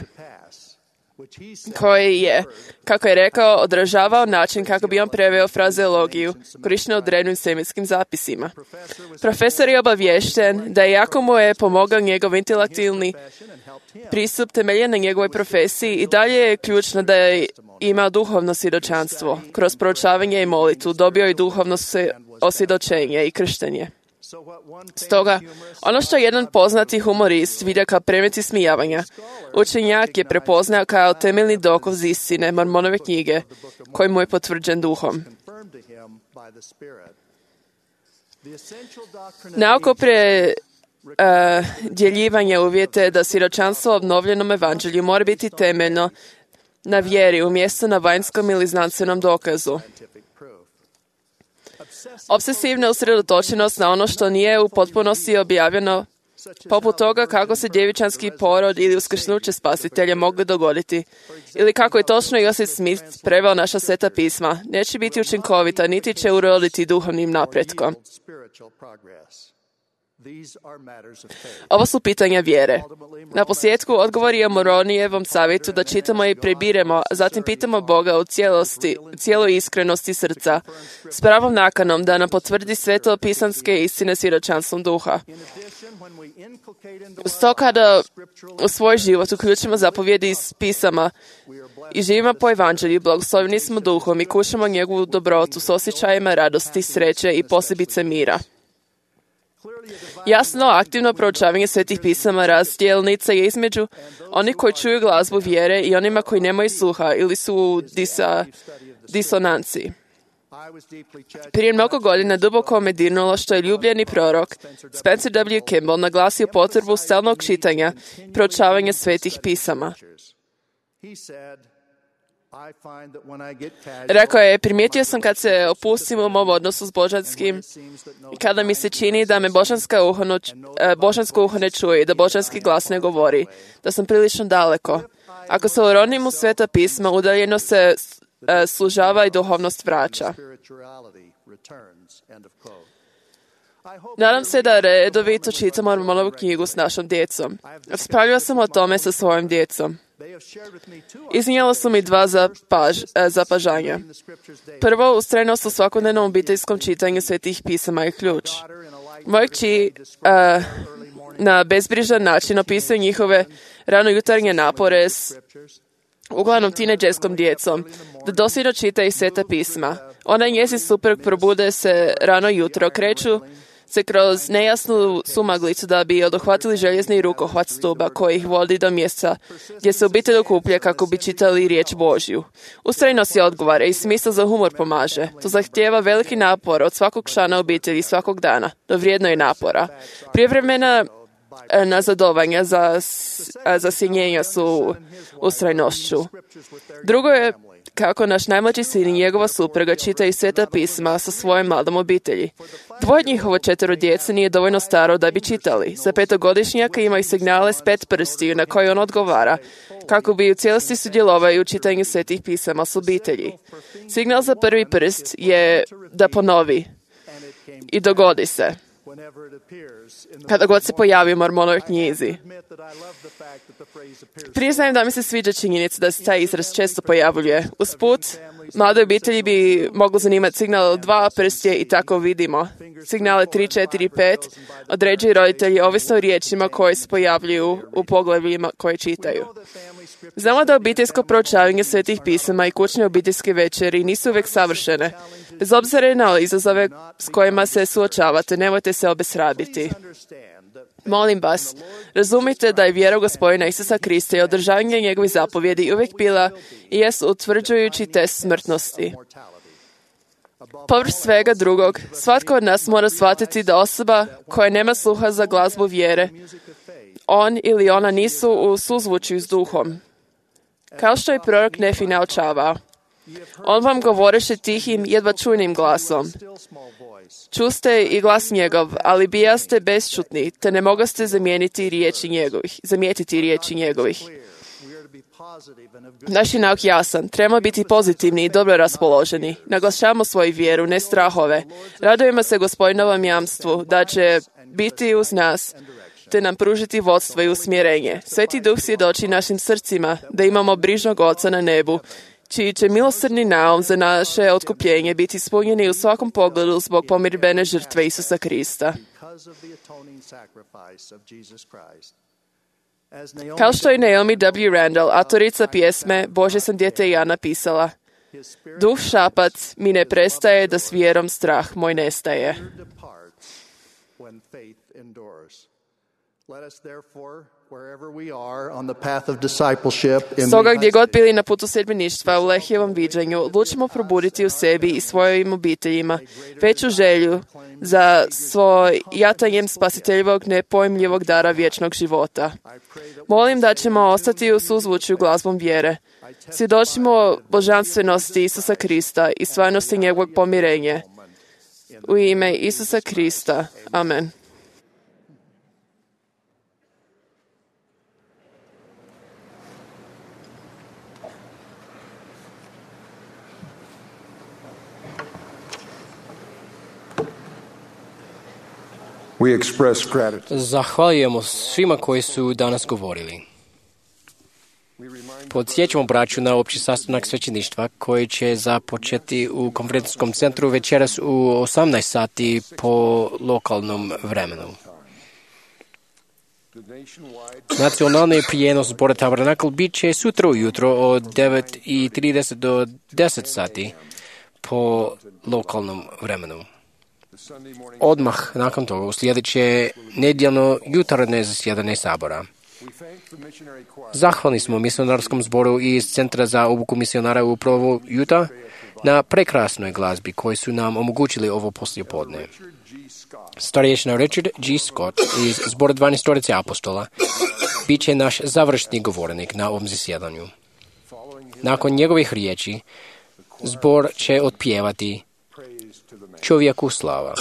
koji je, kako je rekao, odražavao način kako bi on preveo frazeologiju korištenu u drevnim semitskim zapisima. Profesor je obaviješten da iako mu je pomogao njegov intelektualni pristup temeljen na njegovoj profesiji, i dalje je ključno da je imao duhovno svjedočanstvo. Kroz proučavanje i molitvu dobio je duhovno osvjedočenje i krštenje. Stoga, ono što jedan poznati humorist vidio kao predmet ismijavanja, učenjak je prepoznao kao temeljni dokaz istine Mormonove knjige, koji mu je potvrđen duhom. Nauko predjeljivanje uvjete da svjedočanstvo o obnovljenom evanđelju mora biti temeljno na vjeri umjesto na vanjskom ili znanstvenom dokazu. Obsesivna usredotočenost na ono što nije u potpunosti objavljeno, poput toga kako se djevičanski porod ili uskrsnuće spasitelja mogli dogoditi, ili kako je točno Joseph Smith preveo naša sveta pisma, neće biti učinkovita, niti će uroditi duhovnim napretkom. Ovo su pitanja vjere. Na posljedku odgovor je Moronijevom savjetu da čitamo i prebiremo, a zatim pitamo Boga u cijeloj iskrenosti srca, s pravom nakanom da nam potvrdi svetopisanske istine svjedočanstvom duha. Sto kada u svoj život uključimo zapovjedi iz pisama i živimo po evanđelju, blagoslovljeni smo duhom i kušamo njegovu dobrotu s osjećajima radosti, sreće i posebice mira. Jasno, aktivno proučavanje svetih pisama razdjelnica je između onih koji čuju glazbu vjere i onima koji nemaju sluha ili su u disonanciji. Prije mnogo godina duboko me dirnulo što je ljubljeni prorok Spencer W. Kimball naglasio potrebu stalnog čitanja i proučavanja svetih pisama. Rekao je, primijetio sam kad se opustim u mom odnosu s božanskim i kada mi se čini da me božansko uho ne čuje i da božanski glas ne govori, da sam prilično daleko. Ako se uronim u sveta pisma, udaljeno se služava i duhovnost vraća. Nadam se da redovito čitam Mormonovu knjigu s našom djecom. Raspravljao sam o tome sa svojom djecom. Iznijela su mi dva zapažanja. Prvo, ustrajnost u svakodnevnom obiteljskom čitanju svetih pisama je ključ. Moja kći na bezbrižan način opisuje njihove ranojutarnje napore s uglavnom tinejdžerskom djecom, da dosljedno čita i sveta pisma. Ona i njezin suprug probude se rano jutro, kreću se kroz nejasnu sumaglicu da bi odohvatili željezni rukohvat stuba koji ih vodi do mjesta gdje se obitelj okuplja kako bi čitali riječ Božju. Ustrajnost je odgovara i smisao za humor pomaže. To zahtijeva veliki napor od svakog člana obitelji svakog dana, no vrijedno je napora. Prijevremena nazadovanja za sjenjenja su ustrajnošću. Drugo je kako naš najmlađi sin i njegova supruga čitaju Sveta pisma sa svojom mladom obitelji. Dvoje od njihovo 4 djece nije dovoljno staro da bi čitali. Za 5-godišnjaka imaju signale s 5 prstiju na koje on odgovara, kako bi u cijelosti sudjelovali u čitanju Svetih pisama s obitelji. Signal za prvi prst je da ponovi i dogodi se. Kada god se pojavi u mormonovoj knjizi. Priznajem da mi se sviđa činjenica da se taj izraz često pojavljuje. Usput, mlade obitelji bi moglo zanimati signal 2 prstje i tako vidimo. Signale 3, 4 i 5 određuju roditelji ovisno o riječima koje se pojavljuju u poglavljima koje čitaju. Znamo da obiteljsko proučavanje Svetih pisama i kućne obiteljske večeri nisu uvijek savršene. Bez obzira na izazove s kojima se suočavate, nemojte se obeshrabiti. Molim vas, razumite da je vjera u Gospodina Isusa Krista i održavanje njegovih zapovjedi uvijek bila i jest utvrđujući test smrtnosti. Povrh svega drugog, svatko od nas mora shvatiti da osoba koja nema sluha za glazbu vjere, on ili ona nisu u suzvučju s duhom. Kao što je prorok Nefi naučavao, on vam govoreše tihim, jedva čujnim glasom. Čuste i glas njegov, ali bijaste bešćutni, te ne mogaste zamijetiti riječi njegovih. Naš je nauk jasan, trebamo biti pozitivni i dobro raspoloženi. Naglašavamo svoju vjeru, ne strahove. Radujemo se Gospodinovom jamstvu da će biti uz nas, te nam pružiti vodstvo i usmjerenje. Sveti Duh svjedoči našim srcima da imamo brižnog Oca na nebu, čiji će milosrdni naum za naše otkupljenje biti ispunjeni u svakom pogledu zbog pomirbene žrtve Isusa Krista. Kao što je Naomi W. Randall, autorica pjesme Bože sam dijete ja napisala, duh šapac mi ne prestaje da s vjerom strah moj nestaje. Stoga gdje god bili na putu sedmeništva u Lehijevom viđanju, odlučimo probuditi u sebi i svojim obiteljima veću želju za svojatanjem spasiteljivog nepojmljivog dara vječnog života. Molim da ćemo ostati u suzvučju glazbom vjere. Svjedočimo božanstvenosti Isusa Krista i stvarnosti njegovog pomirenja. U ime Isusa Krista. Amen. Zahvaljujemo svima koji su danas govorili. Podsjećamo braću na opći sastanak svećeništva koji će započeti u konferencijskom centru večeras u 18 sati po lokalnom vremenu. Nacionalni prijenos zbora Tabernakl bit će sutra ujutro od 9:30 do 10 sati po lokalnom vremenu. Odmah nakon toga uslijedit će nedjeljno jutarnje zasjedanje sabora. Zahvalni smo misionarskom zboru iz Centra za obuku misionara u Provo, Utah, na prekrasnoj glazbi koji su nam omogućili ovo poslijepodne. Starješina Richard G. Scott iz zbora 12 apostola bit će naš završni govornik na ovom zasjedanju. Nakon njegovih riječi, zbor će otpjevati Čovjeku slava.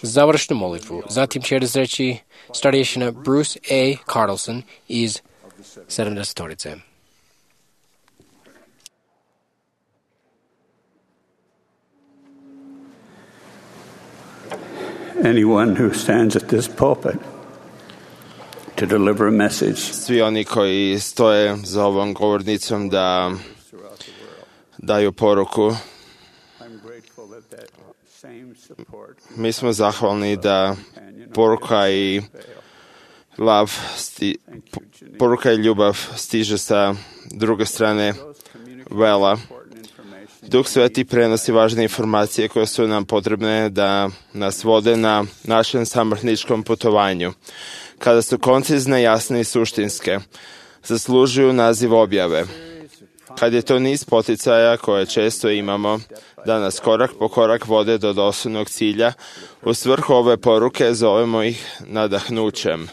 Završnu molitvu zatim će razreći starješina Bruce A. Carlson iz 70-torice. Anyone who stands at this pulpit to deliver a message. Svi oni koji stoje za ovom govornicom da daju poruku, mi smo zahvalni da poruka i ljubav stiže sa druge strane vela. Duh Sveti prenosi važne informacije koje su nam potrebne da nas vode na našem samrhničkom putovanju. Kada su koncizne, jasne i suštinske, zaslužuju naziv objave. kad je to niz poticaja koje često imamo, da nas korak po korak vode do dosljednog cilja, u svrhu ove poruke zovemo ih nadahnućem.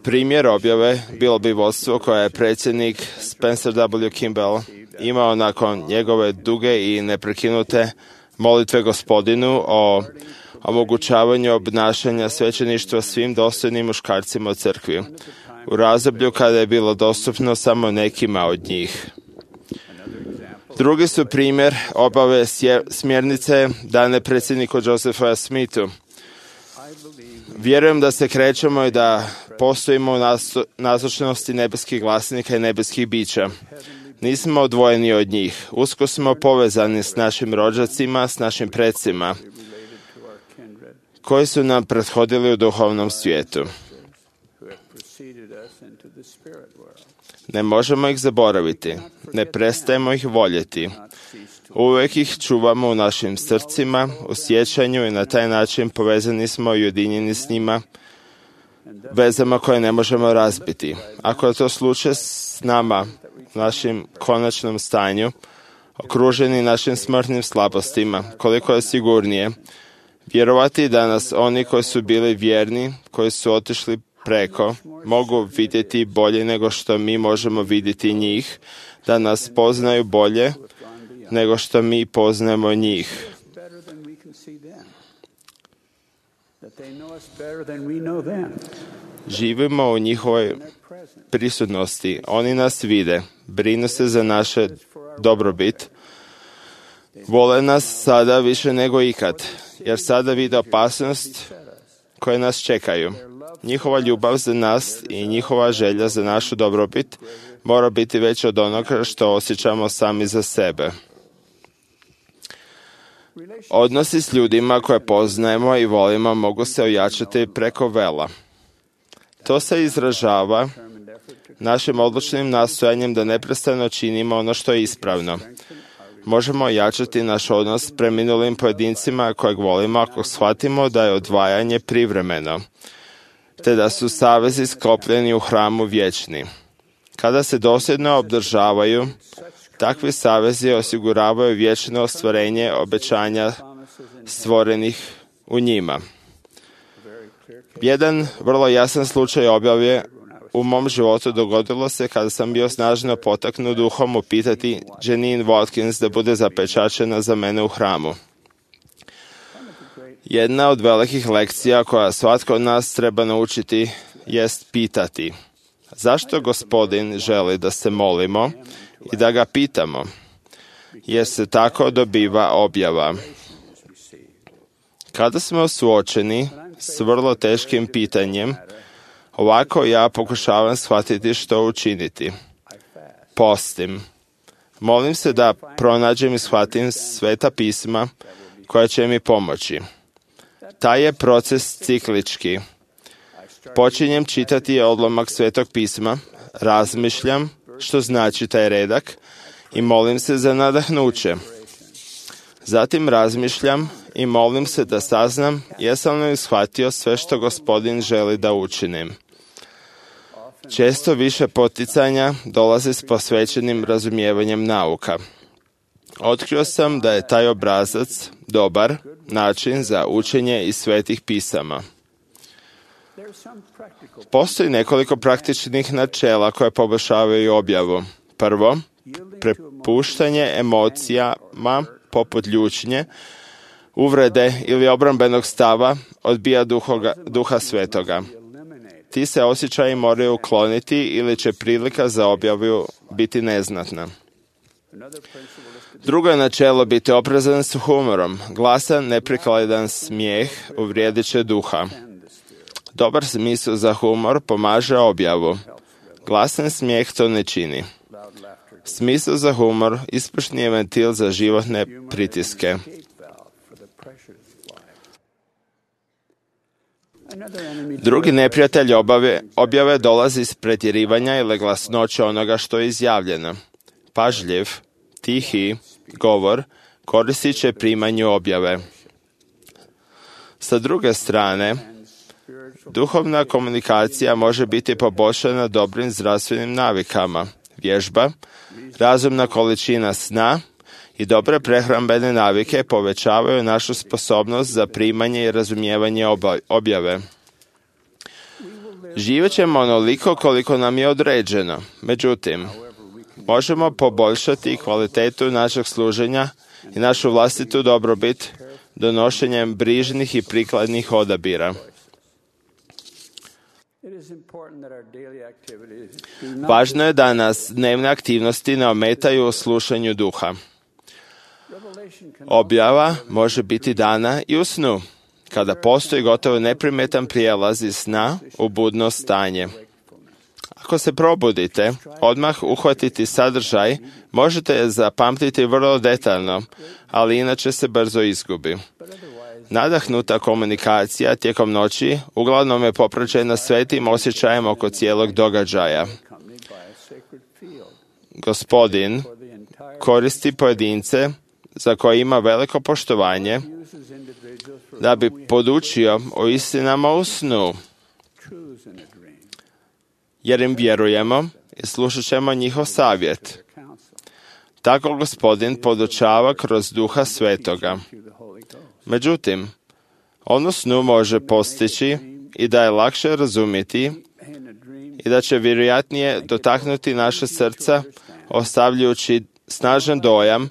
Primjer objave bilo bi vodstvo koje je predsjednik Spencer W. Kimball imao nakon njegove duge i neprekinute molitve Gospodinu o omogućavanju obnašanja svećeništva svim dostojnim muškarcima u crkvi, u razdoblju kada je bilo dostupno samo nekima od njih. Drugi su primjer obave smjernice dane predsjedniku Josephu Smithu. Vjerujem da se krećemo i da postojimo u nazočnosti nebeskih glasnika i nebeskih bića. Nismo odvojeni od njih. Usko smo povezani s našim rođacima, s našim predsima, koji su nam prethodili u duhovnom svijetu. Ne možemo ih zaboraviti. Ne prestajemo ih voljeti. Uvijek ih čuvamo u našim srcima, u sjećanju i na taj način povezani smo i ujedinjeni s njima, vezama koje ne možemo razbiti. Ako je to slučaj s nama, našim konačnom stanju, okruženi našim smrtnim slabostima, koliko je sigurnije vjerovati da nas oni koji su bili vjerni, koji su otišli preko, mogu vidjeti bolje nego što mi možemo vidjeti njih, da nas poznaju bolje nego što mi poznajemo njih. Živimo u njihovoj prisutnosti. Oni nas vide, brinu se za naše dobrobit. Vole nas sada više nego ikad, jer sada vide opasnost koje nas čekaju. Njihova ljubav za nas i njihova želja za našu dobrobit mora biti veća od onoga što osjećamo sami za sebe. Odnosi s ljudima koje poznajemo i volimo mogu se ojačati preko vela. To se izražava našim odlučnim nastojanjem da neprestano činimo ono što je ispravno. Možemo ojačati naš odnos s preminulim pojedincima kojeg volimo ako shvatimo da je odvajanje privremeno, te da su savezi sklopljeni u hramu vječni. Kada se dosljedno obdržavaju, takvi savezi osiguravaju vječno ostvarenje obećanja stvorenih u njima. Jedan vrlo jasan slučaj objave u mom životu dogodilo se kada sam bio snažno potaknut duhom upitati Janine Watkins da bude zapečačena za mene u hramu. Jedna od velikih lekcija koja svatko od nas treba naučiti jest pitati. Zašto Gospodin želi da se molimo i da ga pitamo? Jer se tako dobiva objava. Kada smo suočeni s vrlo teškim pitanjem, ovako ja pokušavam shvatiti što učiniti. Postim. Molim se da pronađem i shvatim sveta pisma koja će mi pomoći. Taj je proces ciklički. Počinjem čitati odlomak svetog pisma, razmišljam što znači taj redak i molim se za nadahnuće. Zatim razmišljam i molim se da saznam jesam li shvatio sve što Gospodin želi da učinim. Često više poticanja dolazi s posvećenim razumijevanjem nauka. Otkrio sam da je taj obrazac dobar način za učenje iz svetih pisama. Postoji nekoliko praktičnih načela koje poboljšavaju objavu. Prvo, prepuštanje emocijama poput ljutnje, uvrede ili obrambenog stava odbija duha svetoga. Ti se osjećaji moraju ukloniti ili će prilika za objavu biti neznatna. Drugo je načelo biti oprezan s humorom. Glasan, neprikladan smijeh uvrijedit će duha. Dobar smisao za humor pomaže objavu. Glasan smijeh to ne čini. Smisao za humor ispušni je ventil za životne pritiske. Drugi neprijatelj objave dolazi iz pretjerivanja ili glasnoće onoga što je izjavljeno. Pažljiv, tihi govor koristit će primanju objave. Sa druge strane, Duhovna komunikacija može biti poboljšana dobrim zdravstvenim navikama. Vježba, razumna količina sna i dobre prehrambene navike povećavaju našu sposobnost za primanje i razumijevanje objave. Živjet ćemo onoliko koliko nam je određeno. Međutim, možemo poboljšati kvalitetu našeg služenja i našu vlastitu dobrobit donošenjem brižnih i prikladnih odabira. Važno je da nas dnevne aktivnosti ne ometaju u slušanju duha. Objava može biti dana i u snu, kada postoji gotovo neprimetan prijelaz iz sna u budno stanje. Ako se probudite, odmah uhvatiti sadržaj, možete je zapamtiti vrlo detaljno, ali inače se brzo izgubi. Nadahnuta komunikacija tijekom noći uglavnom je popraćena svetim osjećajem oko cijelog događaja. Gospodin koristi pojedince za koje ima veliko poštovanje da bi podučio o istinama u snu, jer im vjerujemo i slušat ćemo njihov savjet. Tako Gospodin podučava kroz Duha Svetoga. Međutim, on u snu može postići i da je lakše razumjeti i da će vjerojatnije dotaknuti naše srca, ostavljajući snažan dojam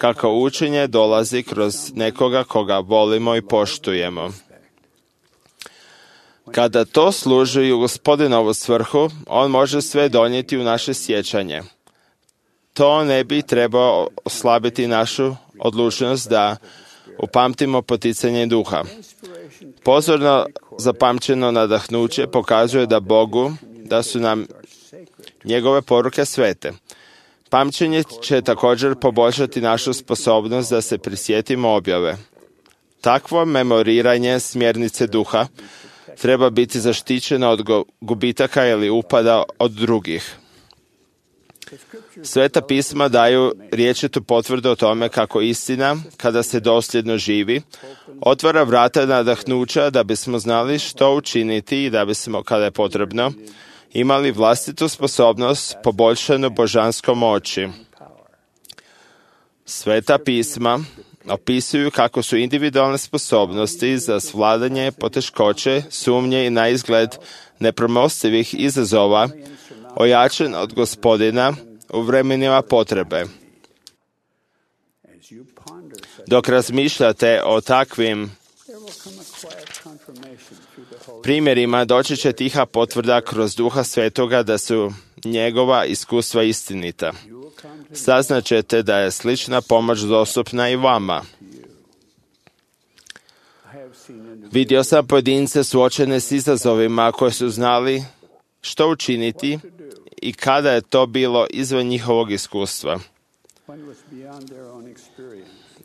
kako učenje dolazi kroz nekoga koga volimo i poštujemo. Kada to služi u Gospodinovu svrhu, on može sve donijeti u naše sjećanje. To ne bi trebao oslabiti našu odlučnost da upamtimo poticanje duha. Pozorno zapamćeno nadahnuće pokazuje da su nam njegove poruke svete. Pamćenje će također poboljšati našu sposobnost da se prisjetimo objave. Takvo memoriranje smjernice duha treba biti zaštićeno od gubitaka ili upada od drugih. Sveta pisma daju riječitu potvrdu o tome kako istina, kada se dosljedno živi, otvara vrata nadahnuća da bismo znali što učiniti i da bismo, kada je potrebno, imali vlastitu sposobnost poboljšanu božanskom moći. Sveta pisma opisuju kako su individualne sposobnosti za svladanje poteškoće, sumnje i na izgled nepremostivih izazova ojačan od Gospodina u vremenima potrebe. Dok razmišljate o takvim primjerima, doći će tiha potvrda kroz Duha Svetoga da su njegova iskustva istinita. Saznaćete da je slična pomoć dostupna i vama. Vidio sam pojedince suočene s izazovima koje su znali što učiniti i kada je to bilo izvan njihovog iskustva,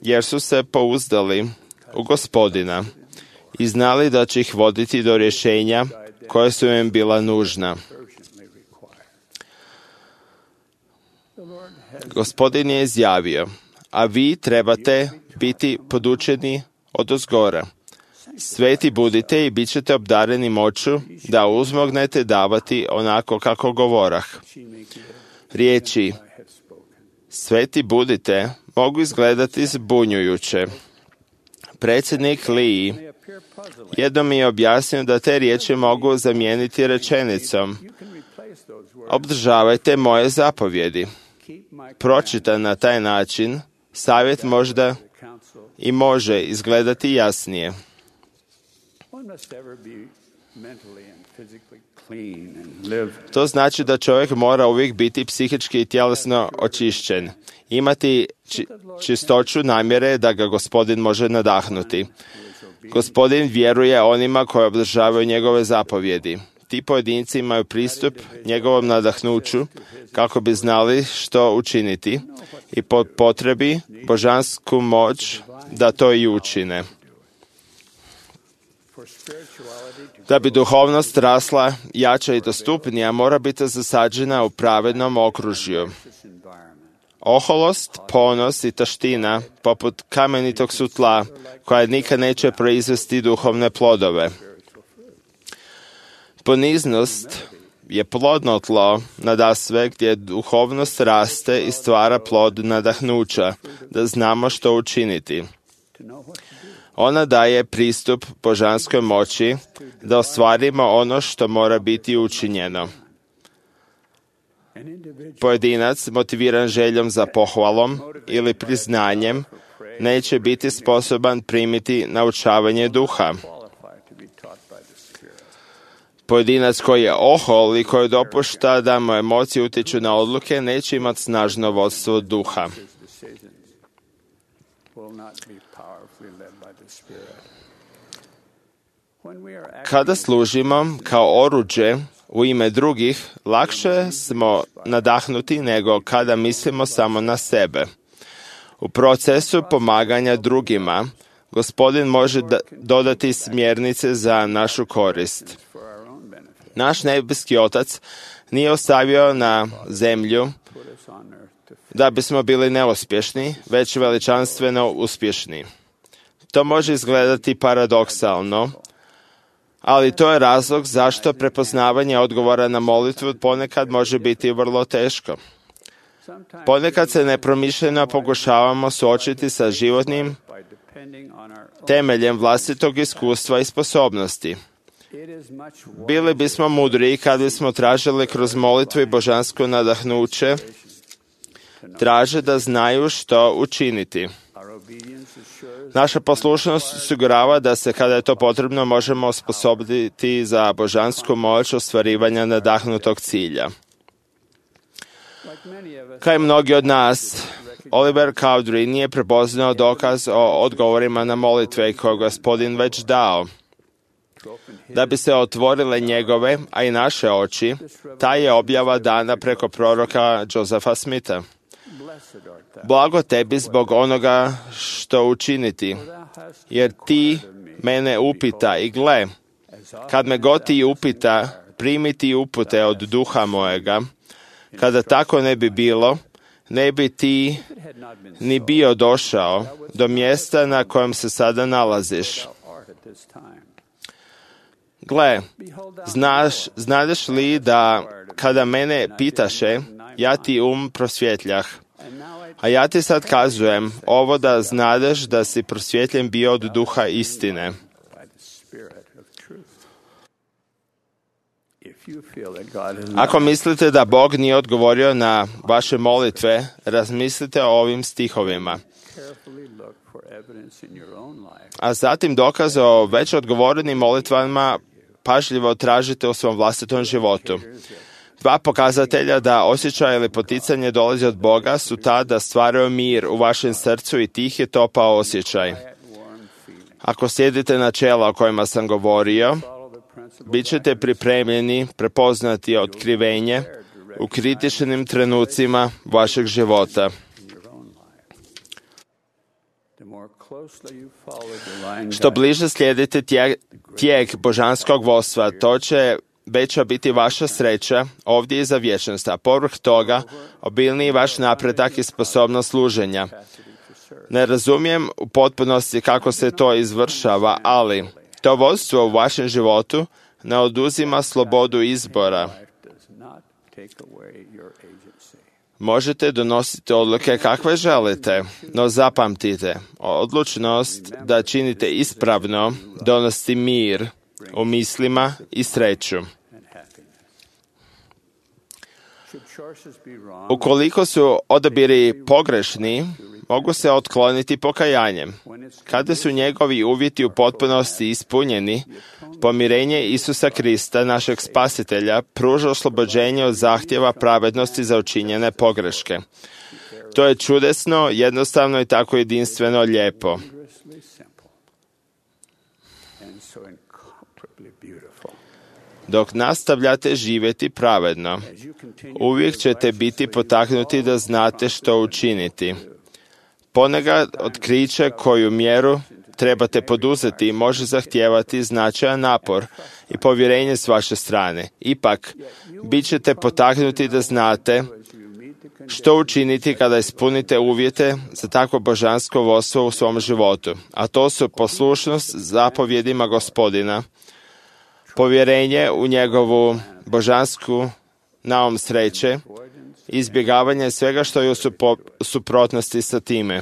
jer su se pouzdali u Gospodina i znali da će ih voditi do rješenja koja su im bila nužna. Gospodin je izjavio, a vi trebate biti podučeni odozgora. Sveti budite i bit ćete obdareni moću da uzmognete davati onako kako govorah. Riječi sveti budite mogu izgledati zbunjujuće. Predsjednik Lee jednom mi je objasnio da te riječi mogu zamijeniti rečenicom obdržavajte moje zapovjedi. Pročitan na taj način, savjet možda i može izgledati jasnije. To znači da čovjek mora uvijek biti psihički i tjelesno očišćen. Imati čistoću namjere da ga Gospodin može nadahnuti. Gospodin vjeruje onima koji obdržavaju njegove zapovjedi. Ti pojedinci imaju pristup njegovom nadahnuću kako bi znali što učiniti i po potrebi božansku moć da to i učine. Da bi duhovnost rasla, jača i dostupnija, mora biti zasađena u pravednom okružju. Oholost, ponos i taština, poput kamenitog su tla, koja nikad neće proizvesti duhovne plodove. Poniznost je plodno tlo nadasve gdje duhovnost raste i stvara plod nadahnuća, da znamo što učiniti. Ona daje pristup božanskoj moći da ostvarimo ono što mora biti učinjeno. Pojedinac motiviran željom za pohvalom ili priznanjem neće biti sposoban primiti naučavanje duha. Pojedinac koji je ohol i koji dopušta da mu emocije utječu na odluke neće imati snažno vodstvo duha. Kada služimo kao oruđe u ime drugih, lakše smo nadahnuti nego kada mislimo samo na sebe. U procesu pomaganja drugima, Gospodin može dodati smjernice za našu korist. Naš nebeski Otac nije ostavio na zemlju da bismo bili neuspješni, već veličanstveno uspješni. To može izgledati paradoksalno, ali to je razlog zašto prepoznavanje odgovora na molitvu ponekad može biti vrlo teško. Ponekad se nepromišljeno pokušavamo suočiti sa životnim temeljem vlastitog iskustva i sposobnosti. Bili bismo mudriji kad bismo tražili kroz molitvu i božansko nadahnuće, traže da znaju što učiniti. Naša poslušnost osigurava da se, kada je to potrebno, možemo osposobiti za božansku moć ostvarivanja nadahnutog cilja. Kao i mnogi od nas, Oliver Cowdery nije prepoznao dokaz o odgovorima na molitve koje Gospodin već dao. Da bi se otvorile njegove, a i naše oči, ta je objava dana preko proroka Josepha Smitha. Blago tebi zbog onoga što učiniti, jer ti mene upita i gle, kad me god ti upita, primi ti upute od duha mojega. Kada tako ne bi bilo, ne bi ti ni bio došao do mjesta na kojem se sada nalaziš. Gle, znadeš li da kada mene pitaše, ja ti prosvjetljah, a ja ti sad kazujem ovo da znadeš da si prosvjetljen bio od duha istine. Ako mislite da Bog nije odgovorio na vaše molitve, razmislite o ovim stihovima. A zatim dokaze o već odgovorenim molitvama pažljivo tražite u svom vlastitom životu. Dva pokazatelja da osjećaj ili poticanje dolazi od Boga su ta da stvaraju mir u vašem srcu i tih je topao osjećaj. Ako slijedite načela o kojima sam govorio, bit ćete pripremljeni prepoznati otkrivenje u kritičnim trenucima vašeg života. Što bliže slijedite tijek božanskog vodstva, to će veća biti vaša sreća ovdje i za vječnost, a povrh toga obilniji vaš napredak i sposobnost služenja. Ne razumijem u potpunosti kako se to izvršava, ali to vodstvo u vašem životu ne oduzima slobodu izbora. Možete donositi odluke kakve želite, no zapamtite, odlučnost da činite ispravno donosi mir u mislima i sreću. Ukoliko su odabiri pogrešni, mogu se otkloniti pokajanjem. Kada su njegovi uvjeti u potpunosti ispunjeni, pomirenje Isusa Krista, našeg spasitelja, pruža oslobođenje od zahtjeva pravednosti za učinjene pogreške. To je čudesno, jednostavno i tako jedinstveno lijepo. Dok nastavljate živjeti pravedno, uvijek ćete biti potaknuti da znate što učiniti. Ponekad otkriće koju mjeru trebate poduzeti može zahtijevati značajan napor i povjerenje s vaše strane. Ipak, bit ćete potaknuti da znate što učiniti kada ispunite uvjete za takvo božansko vodstvo u svom životu. A to su poslušnost zapovjedima Gospodina, povjerenje u njegovu božansku naum sreće, izbjegavanje svega što je u suprotnosti sa time.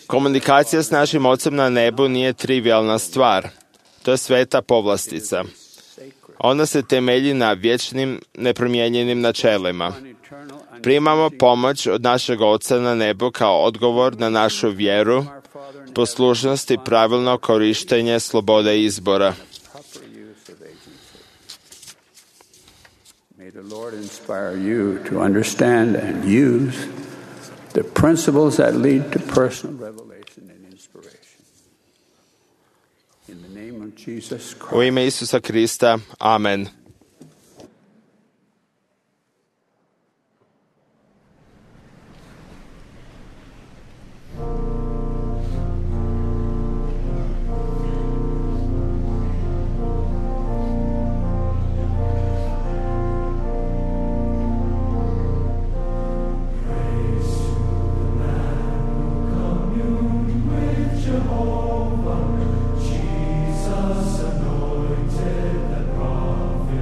Komunikacija s našim Ocem na nebu nije trivialna stvar. To je sveta povlastica. Ona se temelji na vječnim, nepromijenjenim načelima. Primamo pomoć od našeg Oca na nebu kao odgovor na našu vjeru, poslušnost i pravilno korištenje slobode izbora. May the Lord inspire you to understand and use the principles that lead to personal revelation and inspiration. In the name of Jesus Christ. U ime Isusa Krista. Amen. Jesus anointed the prophet.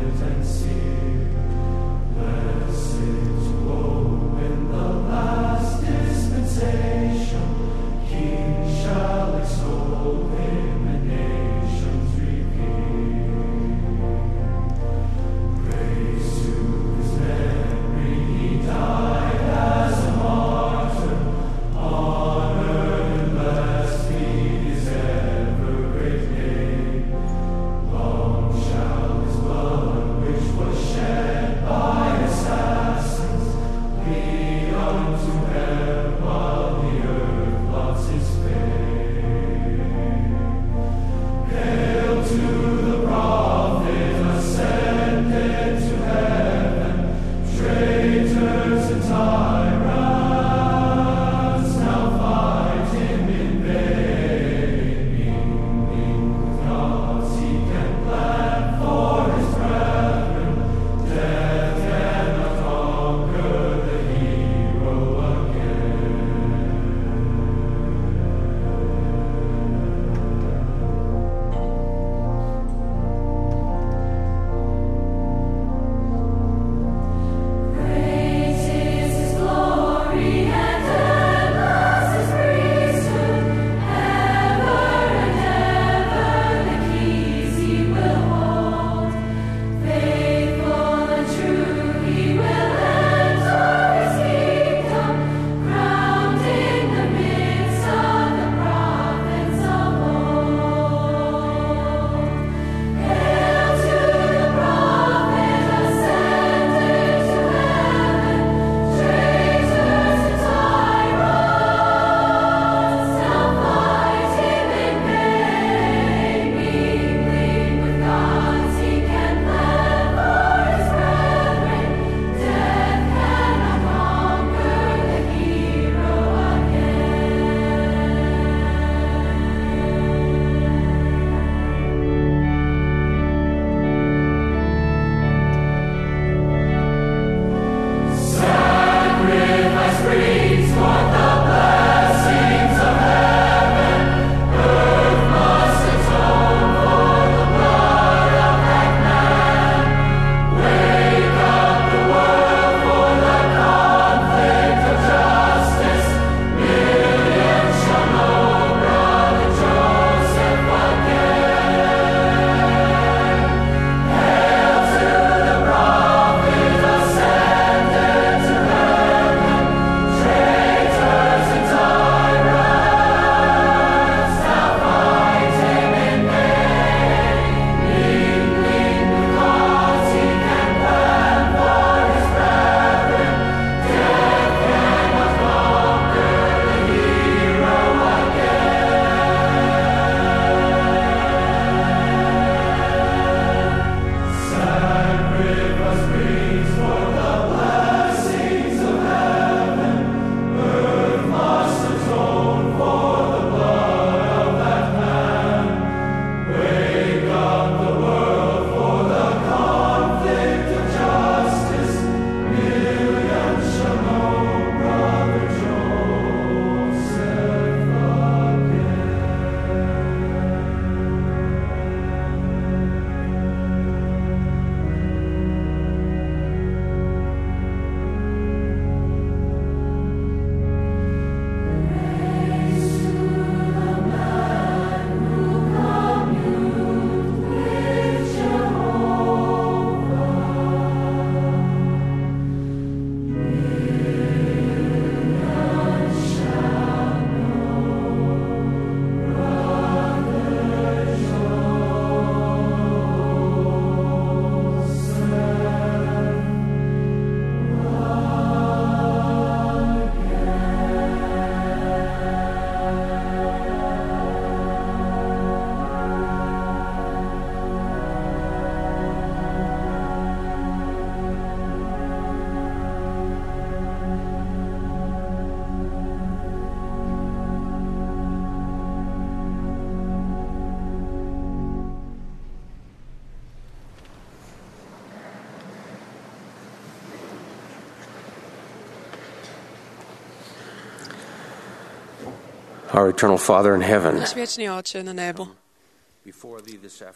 Our eternal Father in heaven, Naš vječni Oče na nebu,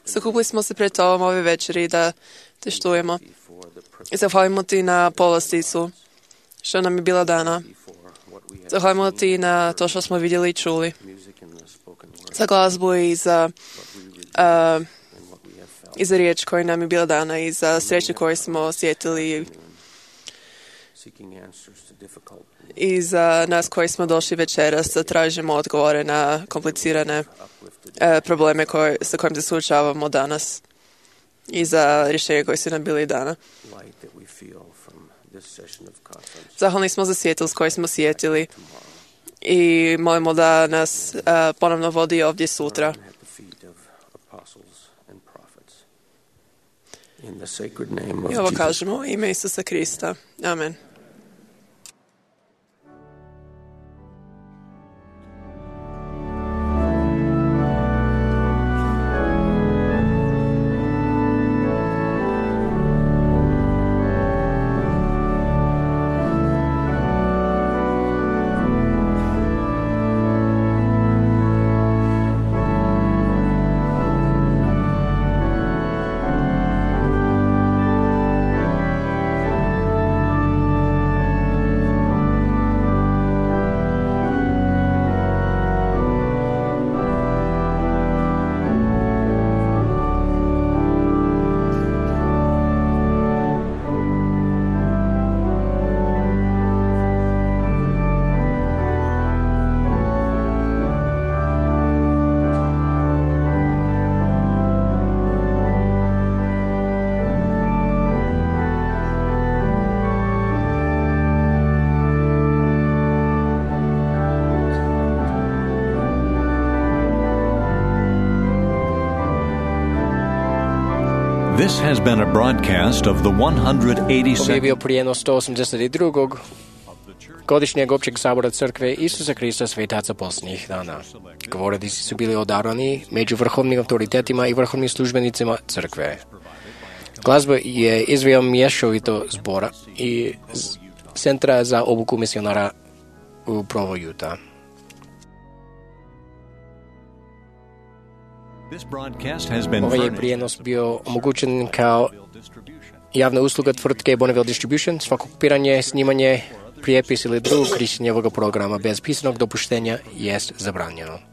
sakupili smo se pred Tobom ove večeri da te štujemo i zahvalimo Ti na povlasticu što nam je bila dana. Zahvalimo Ti na to što smo vidjeli i čuli, za glazbu i za riječ koja nam je bila dana i za sreću koju smo osjetili i za nas koji smo došli večeras da tražimo odgovore na komplicirane probleme sa kojim se suočavamo danas i za rješenje koje su nam bili dana. Zahvalni smo za svjetlost koju smo osjetili i molimo da nas ponovno vodi ovdje sutra. I ovo kažemo u ime Isusa Krista. Amen. This has been a broadcast of the 182nd. Ovo je bio prijenos 182. godišnjeg općeg sabora crkve Isusa Krista svetaca posljednjih dana. Govornici su bili odabrani među vrhovnim autoritetima i vrhovnim službenicima crkve. Glazba je izveo mješovito zbora i centra za obuku misionara u Provo, Utah. Ovaj je prijenos bio omogućen kao javna usluga tvrtke Bonneville Distribution. Svako kopiranje, snimanje, prijepis ili drugo korištenje ovoga programa bez pisanog dopuštenja jest zabranjeno.